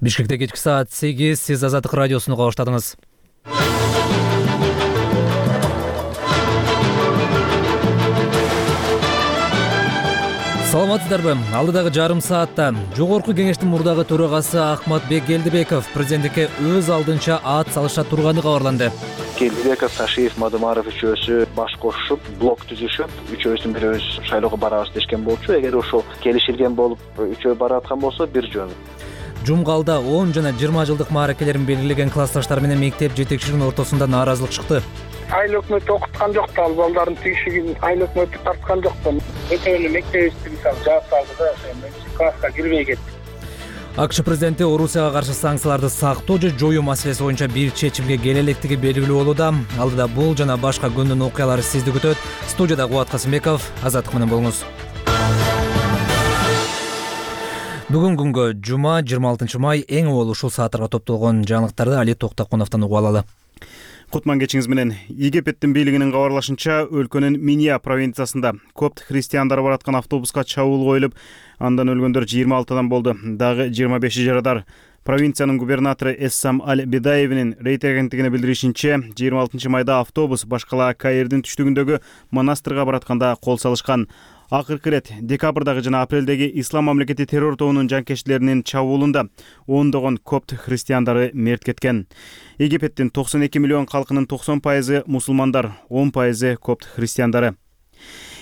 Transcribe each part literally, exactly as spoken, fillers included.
Бишкекте кечки саат сегиз, сиз Азаттык радиосуну баштадыңыз. Саламатсыздарбы? Алдыдагы жарым саатта Жогорку кеңештин мурдагы төрагасы Акматбек Келдибеков президенттикке өз алдынча ат салыша турганы кабарланды. Келдибеков, Ташиев, Мадумаров үчөөсү баш кошушуп, блок түзүшүп, үчөөбүздүн бирөөбүз шайлоого барабыз дешкен болчу. Эгер ошол келишилген болуп, үчөө бараткан болсо бир жөн. Жумгалда он жана жыйырма жылдык мааракелерин белгилеген классташтар менен мектеп жетекчилигинин ортосунда нааразылык чыкты. Айыл өкмөтү окуткан жок да, ал балдардын тийишигин айыл өкмөтү тарткан жок да. Өтөнү мектебибизди мисалы жаап салды да, ошо класска кирбей кетти. АКШ президенти Орусияга каршы санкцияларды сактоо же жоюу маселеси боюнча бир чечимге келе электиги белгилүү болууда. Алдыда бул жана башка күндүн окуялары сизди күтөт. Студияда Кубат Касымбеков, Азаттык менен болуңуз. Бүгүн күнгө жума жыйырма алтынчы май эң обол ушул сааттарга топтолгон жаңылыктарды Али Токтокуновдон угуп алалы. Кутман кечиңиз менен. Египеттин бийлигинин кабарлашынча, өлкөнүн Минья провинциясында копт христиандары бараткан автобуска чабуул коюлуп, андан өлгөндөр жыйырма алтыдан болду. Дагы жыйырма беши жарадар. Провинциянын губернатору Эссам Аль-Бидаевинин Рейтер агенттигине билдиришинче, жыйырма алтынчы майда автобус башкала Каирдин түштүгүндөгү монастырга баратканда кол салышкан. Акыркы ирет декабрдагы жана апрелдеги Ислам мамлекети террор тобунун жанкечтилеринин чабуулунда ондогон копт христиандары мерт кеткен. Египеттин токсон эки миллион калкынын токсон пайызы мусулмандар, он пайызы копт христиандары.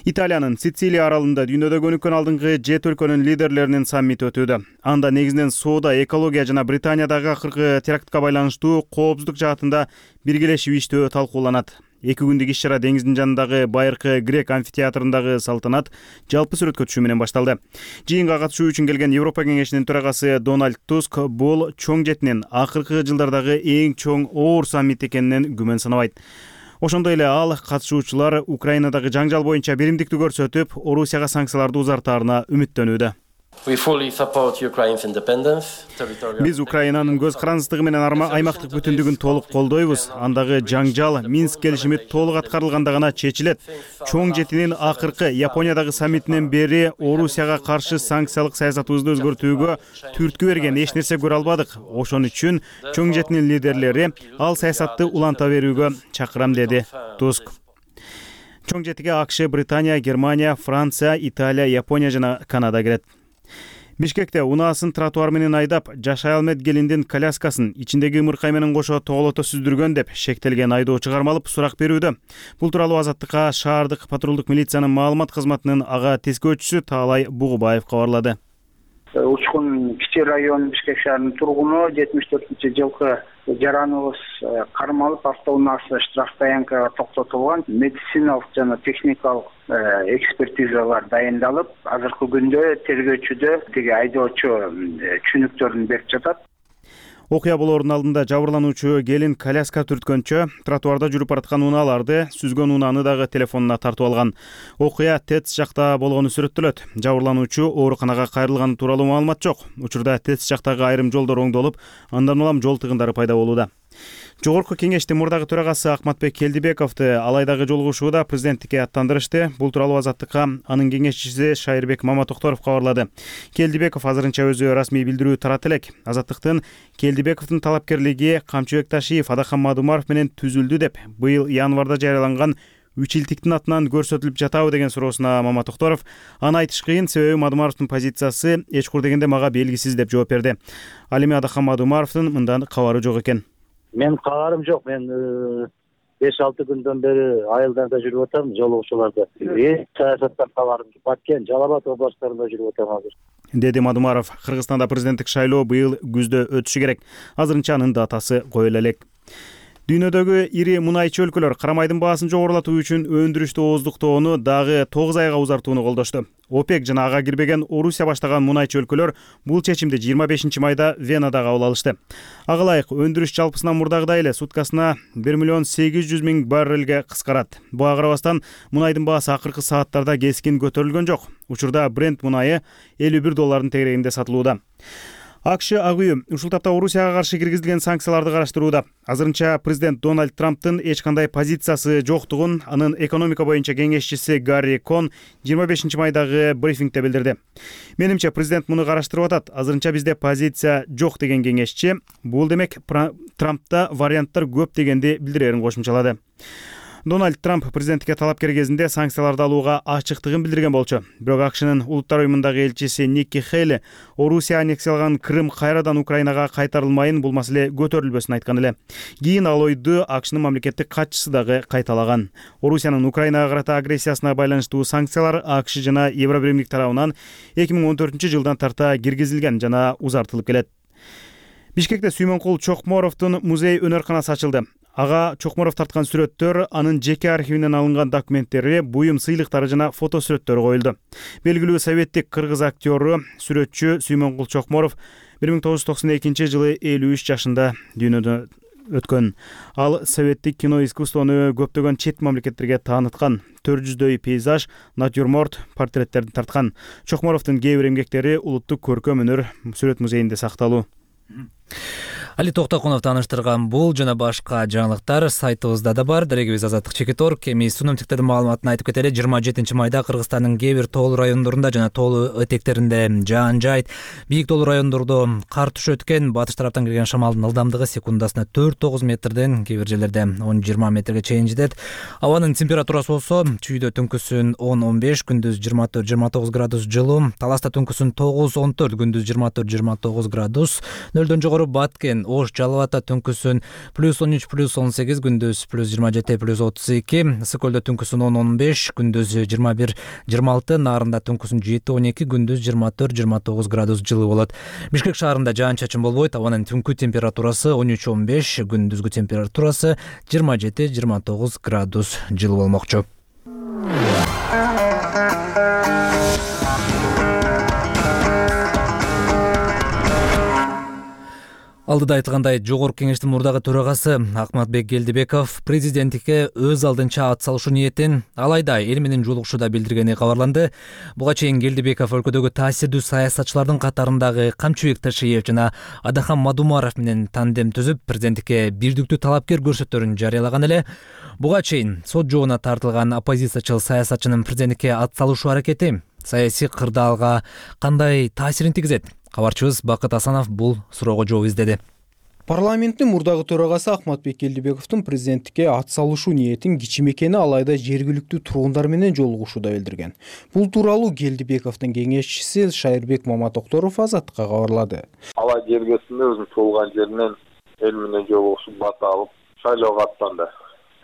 Италиянын Сицилия аралында дүйнөдөгү өнүккөн алдыңкы жети өлкөнүн лидерлеринин саммити өтүүдө. Анда негизинен соода, экология жана Британиядагы акыркы терактка байланыштуу коопсуздук жаатында биргелешип иштөө талкууланат. Эки күндүк иш-чара деңиздин жанындагы байыркы грек амфитеатрындагы салтанат жалпы сүрөткө түшүү менен башталды. Жыйынга катышуу үчүн келген Европа кеңешинин төрагасы Дональд Туск бул чоң жетинин акыркы жылдардагы эң чоң оор саммит экенинен күмөн санабайт. Ошондой эле ал катышуучулар Украинадагы жаңжал боюнча биримдикти көрсөтүп, Орусияга санкцияларды узартаарына үмүттөнүүдө. Биз Украинанын көз карандысыздыгы менен аймактык бүтүндүгүн толук колдойбуз. Андагы жаңжал Минск келишими толук аткарылганда гана чечилет. Чоң жетинин акыркы Япониядагы саммитинен бери Орусияга каршы санкциялык саясатыбызды өзгөртүүгө түрткү берген эч нерсе көрө албадык. Ошон үчүн чоң жетинин лидерлери ал саясатты уланта берүүгө чакырам, деди Туск. Чоң жетиге АКШ, Британия, Германия, Франция, Италия, Япония жана Канада кирет. Бишкекте унаасын тротуар менен айдап, жашай алмет келиндин коляскасын ичиндеги ымыркай менен кошо тоголото сүздүргөн деп шектелген айдоочу кармалып сурак берүүдө. Бул тууралуу Азаттыкка шаардык патрулдук милициянын маалымат кызматынын ага тескөөчүсү Таалай Бугубаев кабарлады. Учкун Кичи район Бишкек шаарынын тургуну жетимиш төртүнчү жылкы жараныбыз кармалып, автоунаасы штраф таянкага токтотулган. Медициналык жана техникалык экспертизалар дайындалып, азыркы күндө тергөөчүдө тиги айдоочу түшүнүктөрүн берип жатат. Окуя болоордун алдында жабырлануучу келин коляска түрткөнчө тротуарда жүрүп бараткан унааларды, сүзгөн унааны дагы телефонуна тартып алган. Окуя ТЭЦ жакта болгону сүрөттөлөт. Жабырлануучу ооруканага кайрылганы тууралуу маалымат жок. Учурда ТЭЦ жактагы айрым жолдор оңдолуп, андан улам жол тыгындары пайда болууда. Жогорку кеңештин мурдагы төрагасы Акматбек Келдибековду алайдагы жолугушууда президенттикке аттандырышты. Бул тууралуу Азаттыкка анын кеңешчиси Шайырбек Маматокторов кабарлады. Келдибеков азырынча өзү расмий билдирүү тарат элек. Азаттыктын Келдибековдун талапкерлиги Камчыбек Ташиев, Адахан Мадумаров менен түзүлдү деп быйыл январда жарыяланган үч илтиктин атынан көрсөтүлүп жатабы деген суроосуна Маматокторов аны айтыш кыйын, себеби Мадумаровдун позициясы эчкур дегенде мага белгисиз деп жооп берди. Ал эми Адахан Мадумаровдун мындан кабары жок экен. Мен кабарым жок. Мен беш алты күндөн бери айылдарда жүрүп атам, жолугушууларда. Эч саясаттан кабарым жок. Баткен, Жалал Абад областтарында жүрүп атам азыр, деди Мадумаров. Кыргызстанда президенттик шайлоо быйыл күздө өтүшү керек. Азырынча анын датасы коюла элек. Дүйнөдөгү ири мунайчы өлкөлөр карамайдын баасын жогорулатуу үчүн өндүрүштү ооздуктоону дагы тогуз айга узартууну колдошту. ОПЕК жана ага кирбеген Орусия баштаган мунайчы өлкөлөр бул чечимди жыйырма бешинчи майда Венада кабыл алышты. Ага ылайык өндүрүш жалпысынан мурдагыдай эле суткасына бир миллион сегиз жүз миң баррелге кыскарат. Буга карабастан мунайдын баасы акыркы сааттарда кескин көтөрүлгөн жок. Учурда Брент мунайы элүү бир доллардын тегерегинде сатылууда. АКШ ак үй ушул тапта Орусияга каршы киргизилген санкцияларды караштырууда. Азырынча президент Дональд Трамптын эч кандай позициясы жоктугун анын экономика боюнча кеңешчиси Гарри Кон жыйырма бешинчи майдагы брифингде билдирди. Менимче президент муну караштырып атат. Азырынча бизде позиция жок деген кеңешчи. Бул демек Трампта варианттар көп дегенди билдирерин кошумчалады. Дональд Трамп президенттикке талапкер кезинде санкцияларды алууга ачыктыгын билдирген болчу. Бирок АКШнын улуттар уюмундагы элчиси Никки Хейли Орусия аннексияланган Крым кайрадан Украинага кайтарылмайын, бул маселе көтөрүлбөсүн айткан эле. Кийин ал ойду АКШнын мамлекеттик катчысы дагы кайталаган. Орусиянын Украинага карата агрессиясына байланыштуу санкциялар АКШ жана Евробиримдик тарабынан эки миң он төртүнчү жылдан тарта киргизилген жана узартылып келет. Бишкекте Сүймөнкул Чокморовдун музей өнөр-канасы ачылды. Ага Чокморов тарткан сүрөттөр, анын жеке архивинен алынган документтери, буюм сыйлыктары жана фотосүрөттөрү коюлду. Белгилүү советтик кыргыз актёру, сүрөтчү Сүймөнкул Чокморов бир миң тогуз жүз токсон экинчи жылы элүү үч жашында дүйнөдөн өткөн. Ал советтик кино искусствону көптөгөн чет мамлекеттерге тааныткан. төрт жүздөй пейзаж, натюрморт, портреттерди тарткан. Чокморовдун кээ бир эмгектери улуттук көркөм өнөр сүрөт музейинде сакталуу. Али Токтокунов тааныштырган бул жана башка жаңылыктар сайтыбызда да бар. Дарегибиз Азаттык Чекит орг. Эми синоптиктердин маалыматын айтып кетели. жыйырма жетинчи майда Кыргызстандын кээ бир тоолуу райондорунда жана тоолуу этектеринде жаан жайт. Бийик тоолуу райондордо кар түшөт экен. Батыш тараптан келген шамалдын ылдамдыгы секундасына төрт тогуз метрден, кээ бир жерлерде он жыйырма метрге чейин жетет. Абанын температурасы болсо чүйдө түнкүсүн он он беш, күндүз жыйырма төрт жыйырма тогуз градус жылуу. Таласта түнкүсүн тогуз он төрт, күндүз жыйырма төрт жыйырма тогуз градус. Нөлдөн жогору Баткен, Ош, Жалал ата түнкүсүн плюс он үч плюс он сегиз, күндүз плюс жыйырма жети плюс отуз эки. Ысык-Көлдө түнкүсүн он он беш, күндүз жыйырма бир жыйырма алты. Нарында түнкүсүн жети он эки, күндүз жыйырма төрт жыйырма тогуз градус жылуу болот. Бишкек шаарында жаан-чачын болбойт. Абанын түнкү температурасы он үч он беш, күндүзгү температурасы жыйырма жети жыйырма тогуз градус жылуу болмокчу. Алдыда айтылгандай, Жогорку Кеңештин мурдагы төрагасы Акматбек Келдибеков президенттикке өз алдынча ат салышуу ниетин алайда эл менен жолугушууда билдиргени кабарланды. Буга чейин Келдибеков өлкөдөгү таасирдүү саясатчылардын катарындагы Камчыбек Ташиев жана Адахан Мадумаров менен тандем түзүп, президенттикке бирдиктүү талапкер көрсөттөрүн жарыялаган эле. Буга чейин сот жообуна тартылган оппозициячыл саясатчынын президенттикке ат салышуу аракети саясий кырдаалга кандай таасирин тийгизет? Кабарчыбыз Бакыт Асанов бул суроого жооп издеди. Парламенттин мурдагы төрагасы Акматбек Келдибековдун президенттикке ат салышуу ниетин кичим экени алайда жергиликтүү тургундар менен жолугушууда билдирген. Бул тууралуу Келдибековдун кеңешчиси Шайырбек Маматокторов Азаттыкка кабарлады. Алай жергесинде өзүнүн туулган жеринен эл менен жолугушуп бат алып шайлоого аттанды.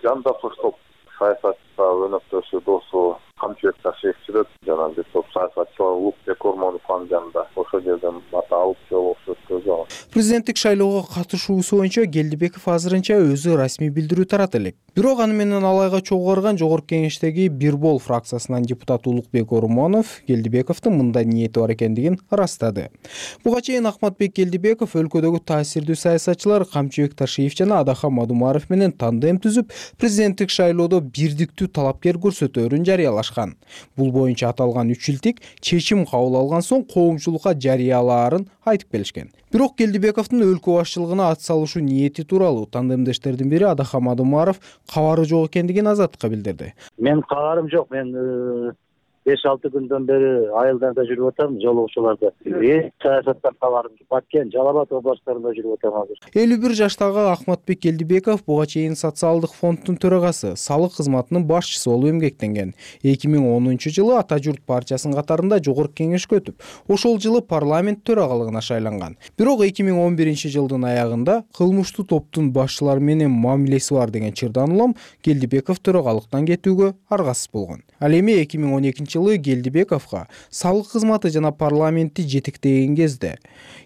Жанда топ саясатчы өнөктөшү досу Камчыбек Ташиев жүрөт, жана бир топ саясатчылар Улукбек Ормоновдун жанында ошол жерден бат алып жолугушуп өткөзгөн. Президенттик шайлоого катышуусу боюнча Келдибеков азырынча өзү расмий билдирүү тарата элек. Бирок аны менен алайга чогуу барган Жогорку Кеңештеги Бир Бол фракциясынан депутат Улукбек Ормонов Келдибековдун мындай ниети бар экендигин ырастады. Буга чейин Акматбек Келдибеков өлкөдөгү таасирдүү саясатчылар Камчыбек Ташиев жана Адахан Мадумаров менен тандем түзүп, президенттик шайлоодо бирдиктүү талапкер көрсөтөөрүн жарыялашкан. Бул боюнча аталган үч илтик чечим кабыл алган соң коомчулукка жарыялаарын айтып келишкен. Бирок Келдибековдун өлкө башчылыгына ат салышуу ниети тууралуу тандемдештердин бири Адахан Мадумаров кабары жок экендигин Азаттыкка билдирди. Мен кабарым жок. Мен беш алты күндөн бери айылдарда жүрүп атам, жолугушууларда. Эч саясаттан кабарым жок. Баткен, Жалал Абад областтарында жүрүп атам азыр. элүү бир жаштагы Акматбек Келдибеков буга чейин социалдык фонддун төрагасы, салык кызматынын башчысы болуп эмгектенген. эки миң онунчу жылы Ата журт партиясынын катарында Жогорку Кеңешке өтүп, ошол жылы парламент төрагалыгына шайланган. Бирок эки миң он биринчи жылдын аягында кылмыштуу топтун башчылары менен мамилеси бар деген чырдан улам Келдибеков төрагалыктан кетүүгө аргасыз болгон. Ал эми эки миң он экинчи жылы Келдибековго салык кызматы жана парламентти жетектеген кезде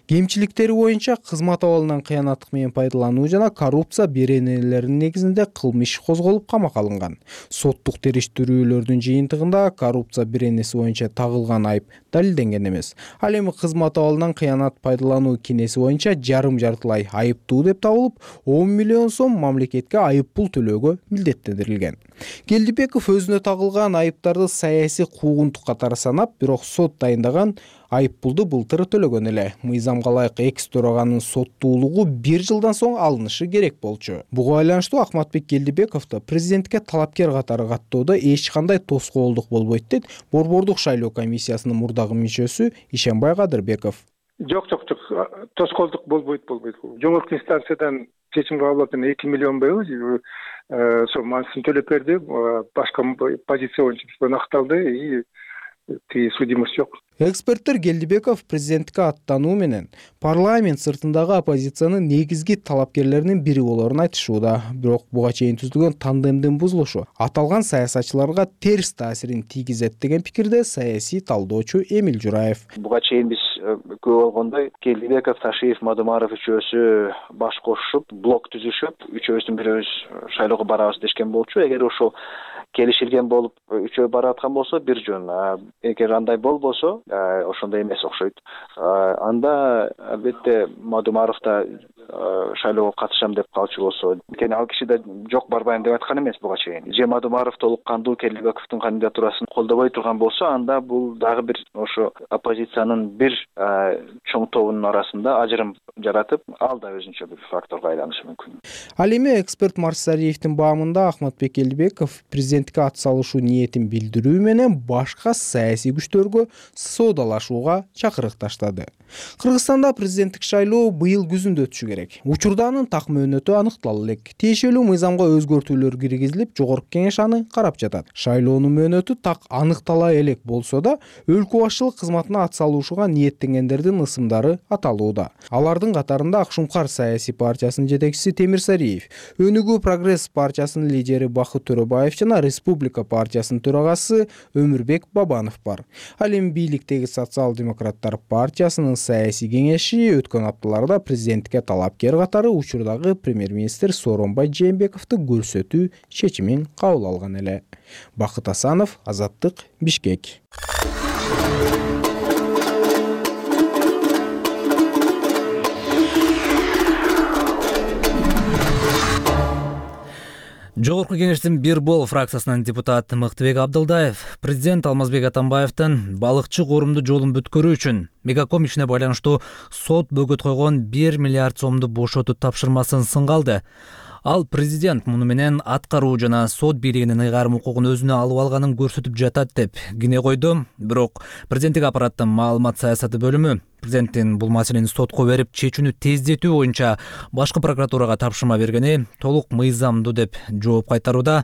кемчиликтери боюнча кызмат абалынан кыянаттык менен пайдалануу жана коррупция беренелеринин негизинде кылмыш козголуп камакка алынган. Соттук териштирүүлөрдүн жыйынтыгында коррупция беренеси боюнча тагылган айып далилденген эмес. Ал эми кызмат абалынан кыянат пайдалануу кинеси боюнча жарым жартылай айыптуу деп табылып, он миллион сом мамлекетке айып пул төлөөгө милдеттендирилген. Келдибеков өзүнө тагылган айыптарды саясий куугунтук катары санап, бирок сот дайындаган айып пулду былтыр төлөгөн эле. Мыйзамга ылайык экс төраганын соттуулугу бир жылдан соң алынышы керек болчу. Буга байланыштуу Акматбек Келдибеков да президентке талапкер катары каттоодо эч кандай тоскоолдук болбойт дейт Борбордук шайлоо комиссиясынын мурдагы мүчөсү Ишенбай Кадырбеков. Жок, жок, жок. Тоскоолдук болбойт, болбойт. Жогорку инстанциядан чечим кабыл алып, эки миллион быйыл сол манысын төлөп берди. Башка позиция боюнча акталды и тиги судимость жок. Эксперттер Келдибеков президенттикке аттануу менен парламент сыртындагы оппозициянын негизги талапкерлеринин бири болорун айтышууда. Бирок буга чейин түзүлгөн тандемдин бузулушу аталган саясатчыларга терс таасирин тийгизет деген пикирде саясий талдоочу Эмил Жураев. Буга чейин биз көп болгондой Келдибеков, Ташиев, Мадумаров үчөөсү баш кошушуп, блок түзүшүп, үчөөбүздүн бирөөбүз шайлоого барабыз дешкен болчу. Эгер ошол келишилген болуп үчөө бара аткан болсо бир жөн. Эгер андай болбосо ошондой эмес окшойт. Анда албетте Мадумаров да шайлоого катышам деп калчу болсо, анткени ал киши да жок барбайм деп айткан эмес буга чейин. Же Мадумаров толук кандуу Келдибековдун кандидатурасын колдобой турган болсо, анда бул дагы бир ошо оппозициянын бир чоң тобунун арасында ажырым жаратып, ал да өзүнчө бир факторго айланышы мүмкүн. Ал эми эксперт Марсариевдин баамында Акматбек Келдибеков президентке ат салышуу ниетин билдирүү менен башка саясий күчтөргө соодалашууга чакырык таштады. Кыргызстанда президенттик шайлоо быйыл күзүндө өтүшү керек. Учурда анын так мөөнөтү аныктала элек. Тиешелүү мыйзамга өзгөртүүлөр киргизилип, жогорку кеңеш аны карап жатат. Шайлоонун мөөнөтү так аныктала элек болсо да, өлкө башчылык кызматына ат салышууга ниеттенгендердин ысымдары аталууда. Алардын катарында Акшумкар саясий партиясынын жетекчиси Темирсариев, Өнүгүү Прогресс партиясынын лидери Бакыт Төрөбаев жана Республика партиясынын төрагасы Өмүрбек Бабанов бар. Ал эми бийликтеги Социал-демократтар партиясынын саясий кеңеши өткөн апталарда президентке талапкер катары учурдагы премьер-министр Сооронбай Жээнбековду көрсөтүү чечимин кабыл алган эле. Бакыт Асанов, Азаттык, Бишкек. Жогорку кеңештин бир бол фракциясынын депутаты Мыктыбек Абдылдаев президент Алмазбек Атамбаевдин балыкчы корумду жолун бүткөрүү үчүн Мегаком ишине байланыштуу сот бөгөт койгон бир миллиард сомду бошотуу тапшырмасын сынга алды. Ал президент муну менен аткаруу жана сот бийлигинин ыйгарым укугун өзүнө алып алганын көрсөтүп жатат деп кине койду. Бирок президенттик аппараттын маалымат саясаты бөлүмү президенттин бул маселени сотко берип чечүүнү тездетүү боюнча башкы прокуратурага тапшырма бергени толук мыйзамдуу деп жооп кайтарууда.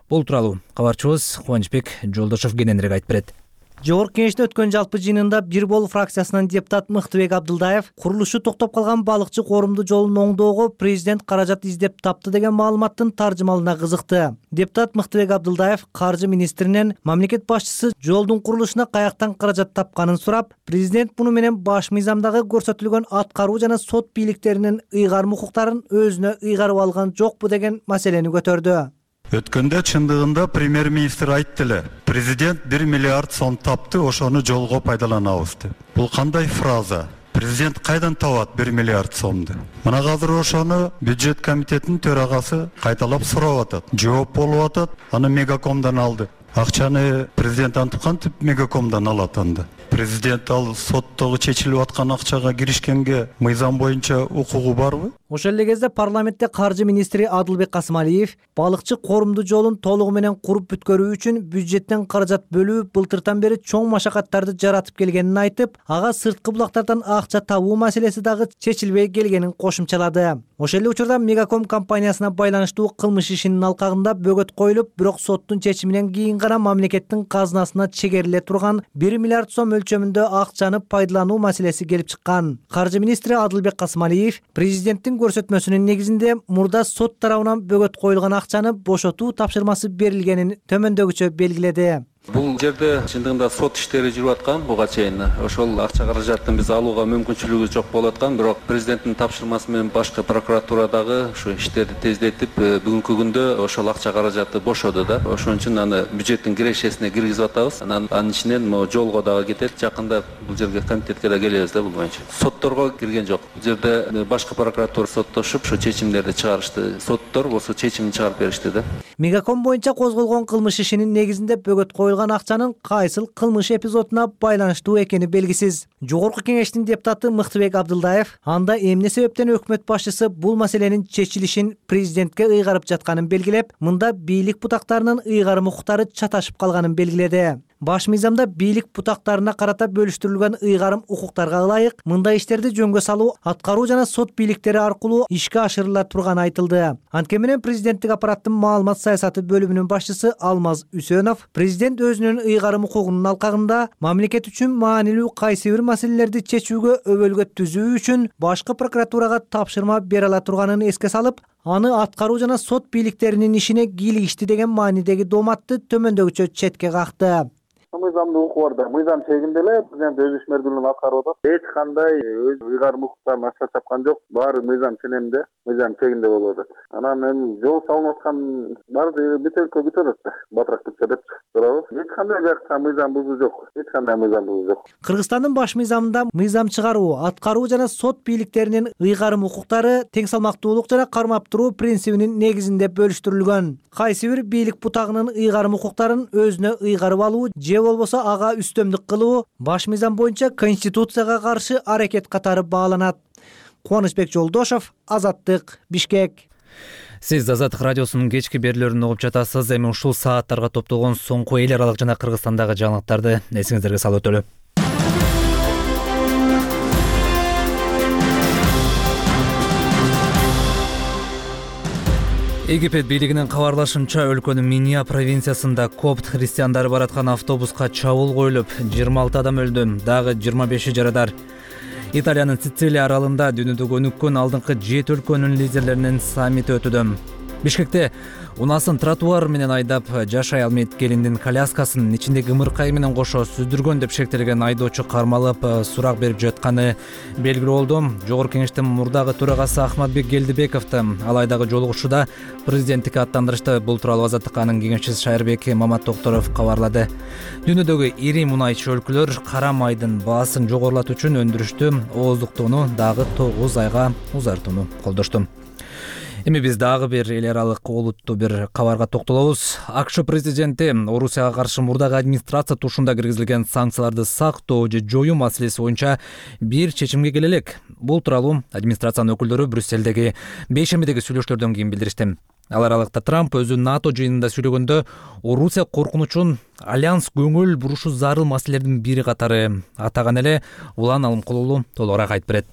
Бул тууралуу кабарчыбыз Кубанычбек Жолдошов кененирээк айтып берет. Жогорку кеңеште өткөн жалпы жыйынында бир бол фракциясынын депутат Мыктыбек Абдылдаев курулушу токтоп калган балыкчы корумду жолун оңдоого президент каражат издеп тапты деген маалыматтын таржымалына кызыкты. Депутат Мыктыбек Абдылдаев каржы министринен мамлекет башчысы жолдун курулушуна каяктан каражат тапканын сурап, президент муну менен баш мыйзамдагы көрсөтүлгөн аткаруу жана сот бийликтеринин ыйгарым укуктарын өзүнө ыйгарып алган жокпу деген маселени көтөрдү. Өткөндө чындыгында премьер-министр айтты эле, президент бир миллиард сом тапты, ошону жолго пайдаланабыз деп. Бул кандай фраза? Президент кайдан табат бир миллиард сомду? Мына азыр ошону бюджет комитетинин төрагасы кайталап сурап атат. Жооп болуп атат, аны Мегакомдон алды. Акчаны президент антип кантип Мегакомдон алат анда? Президент ал соттогу чечилип аткан акчага киришкенге мыйзам боюнча укугу барбы? Ошол эле кезде парламентте каржы министри Адылбек Касымалиев балыкчы корумду жолун толугу менен куруп бүткөрүү үчүн бюджеттен каражат бөлүү былтыртан бери чоң машакаттарды жаратып келгенин айтып, ага сырткы булактардан акча табуу маселеси дагы чечилбей келгенин кошумчалады. Ошол эле учурда Мегаком компаниясына байланыштуу кылмыш ишинин алкагында бөгөт коюлуп, бирок соттун чечиминен кийин гана мамлекеттин казынасына чегериле турган бир миллиард сом өлчөмүндө акчаны пайдалануу маселеси келип чыккан. Каржы министри Адылбек Касымалиев президенттин көрсөтмөсүнүн негизинде мурда сот тарабынан бөгөт коюлган акчаны бошотуу тапшырмасы берилгенин төмөндөгүчө белгиледи. Бул жерде чындыгында сот иштери жүрүп аткан, буга чейин ошол акча каражатын биз алууга мүмкүнчүлүгүбүз жок болуп аткан, бирок президенттин тапшырмасы менен башкы прокуратурадагы ушу иштерди тездетип, бүгүнкү күндө ошол акча каражаты бошоду да. Ошон үчүн аны бюджеттин кирешесине киргизип атабыз. Анан анын ичинен могу жолго дагы кетет. Жакында бул жерге комитетке да келебиз да бул боюнча. Сотторго кирген жок. Бул жерде башкы прокуратура соттошуп, ушу чечимдерди чыгарышты. Соттор болсо чечимин чыгарып беришти да. Мегаком боюнча козголгон кылмыш ишинин негизинде бөгөт коюлган коюлган акчанын кайсыл кылмыш эпизодуна байланыштуу экени белгисиз. Жогорку кеңештин депутаты Мыктыбек Абдылдаев анда эмне себептен өкмөт башчысы бул маселенин чечилишин президентке ыйгарып жатканын белгилеп, мында бийлик бутактарынын ыйгарым укуктары чаташып калганын белгиледи. Баш мыйзамда бийлик бутактарына карата бөлүштүрүлгөн ыйгарым укуктарга ылайык мындай иштерди жөнгө салуу аткаруу жана сот бийликтери аркылуу ишке ашырыла турганы айтылды. Анткени менен президенттик аппараттын маалымат саясаты бөлүмүнүн башчысы Алмаз Үсөнов президент өзүнүн ыйгарым укугунун алкагында мамлекет үчүн маанилүү кайсы бир маселелерди чечүүгө өбөлгө түзүү үчүн башкы прокуратурага тапшырма бере ала турганын эске салып, аны аткаруу жана сот бийликтеринин ишине кийлигишти деген маанидеги дооматты төмөндөгүчө четке какты. Мыйзамды укуп бар да, мыйзам чегинде эле президент өз ишмердүүлүгүн аткарып атат. Эч кандай өз ыйгарым укуктарын аша чапкан жок. Баары мыйзам ченемде, мыйзам чегинде болуп атат. Анан эми жол салынып аткан баары бүтөккө бүтөт да, батыраак бүтсө деп турабыз. Эч кандай жакта мыйзам бузуу жок. Эч кандай мыйзам бузуу жок. Кыргызстандын баш мыйзамында мыйзам чыгаруу, аткаруу жана сот бийликтеринин ыйгарым укуктары тең салмактуулук жана кармап туруу принцибинин негизинде бөлүштүрүлгөн. Кайсы бир бийлик бутагынын ыйгарым укуктарын өзүнө ыйгарып алуу же болбосо ага үстөмдүк кылуу баш мыйзам боюнча конституцияга каршы аракет катары бааланат. Кубанычбек Жолдошов, Азаттык, Бишкек. Сиз Азаттык радиосунун кечки берүүлөрүн угуп жатасыз. Эми ушул сааттарга топтолгон соңку эл аралык жана Кыргызстандагы жаңылыктарды эсиңиздерге салып өтөлү. Египет бийлигинин кабарлашынча өлкөнүн Минья провинциясында копт христиандары бараткан автобуска чабуул коюлуп, жыйырма алты адам өлдү, дагы жыйырма беши жарадар. Италиянын Сицилия аралында дүйнөдөгү өнүккөн алдыңкы жети өлкөнүн лидерлеринин саммити өтүүдө. Бишкекте унасын тротуар менен айдап жашай алмайт келиндин коляскасын ичиндеги ымыркай менен кошо сүздүргөн деп шектелген айдоочу кармалып сурак берип жатканы белгилүү болду. Жогорку кеңештин мурдагы төрагасы Ахматбек Келдибековду ал айдагы жолугушууда президенттикке аттандырышты. Бул тууралуу Азаттыкка анын кеңешчиси Шайырбек Мамат Токторов кабарлады. Дүйнөдөгү ири мунайчы өлкөлөр кара майдын баасын жогорулатуу үчүн өндүрүштү ооздуктоону дагы тогуз айга узартууну колдошту. Эми биз дагы бир эл аралык олуттуу бир кабарга токтолобуз. АКШ президенти Орусияга каршы мурдагы администрация тушунда киргизилген санкцияларды сактоо же жоюу маселеси боюнча бир чечимге келе элек. Бул тууралуу администрациянын өкүлдөрү Брюссельдеги бейшембидеги сүйлөштөрдөн кийин билдиришти. Ал аралыкта Трамп өзү НАТО жыйынында сүйлөгөндө Орусия коркунучун альянс көңүл бурушу зарыл маселелердин бири катары атаган эле. Улан Алымкулуулу толугураак айтып берет.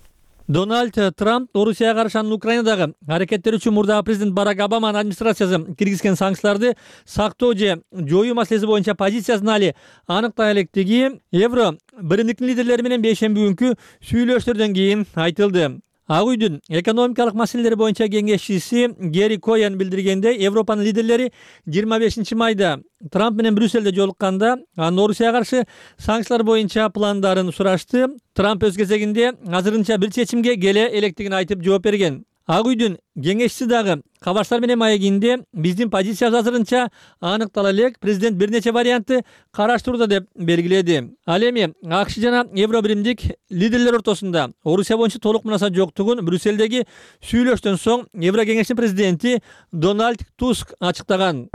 Дональд Трамп Орусияга каршы анын Украинадагы аракеттери үчүн мурдагы президент Барак Обаманын администрациясы киргизген санкцияларды сактоо же жоюу маселеси боюнча позициясын али аныктай электиги Евро биримдиктин лидерлери менен бейшемби күнкү сүйлөштөрдөн кийин айтылды. Ак үйдүн экономикалык маселелери боюнча кеңешчиси Гери Коен билдиргенде, Европанын лидерлери жыйырма бешинчи майда Трамп менен Брюссельде жолукканда анын Орусияга каршы санкциялар боюнча пландарын сурашты. Трамп өз кезегинде азырынча бир чечимге келе электигин айтып жооп берген. Ак үйдүн кеңешчиси дагы кабарчтар менен маегинде биздин позициябыз азырынча аныктала элек, президент бир нече вариантты караштырууда деп белгиледи. Ал эми АКШ жана Евро биримдик лидерлер ортосунда Орусия боюнча толук мунасабат жоктугун Брюссельдеги сүйлөштөн соң Евро кеңешинин президенти Дональд Туск ачыктаган.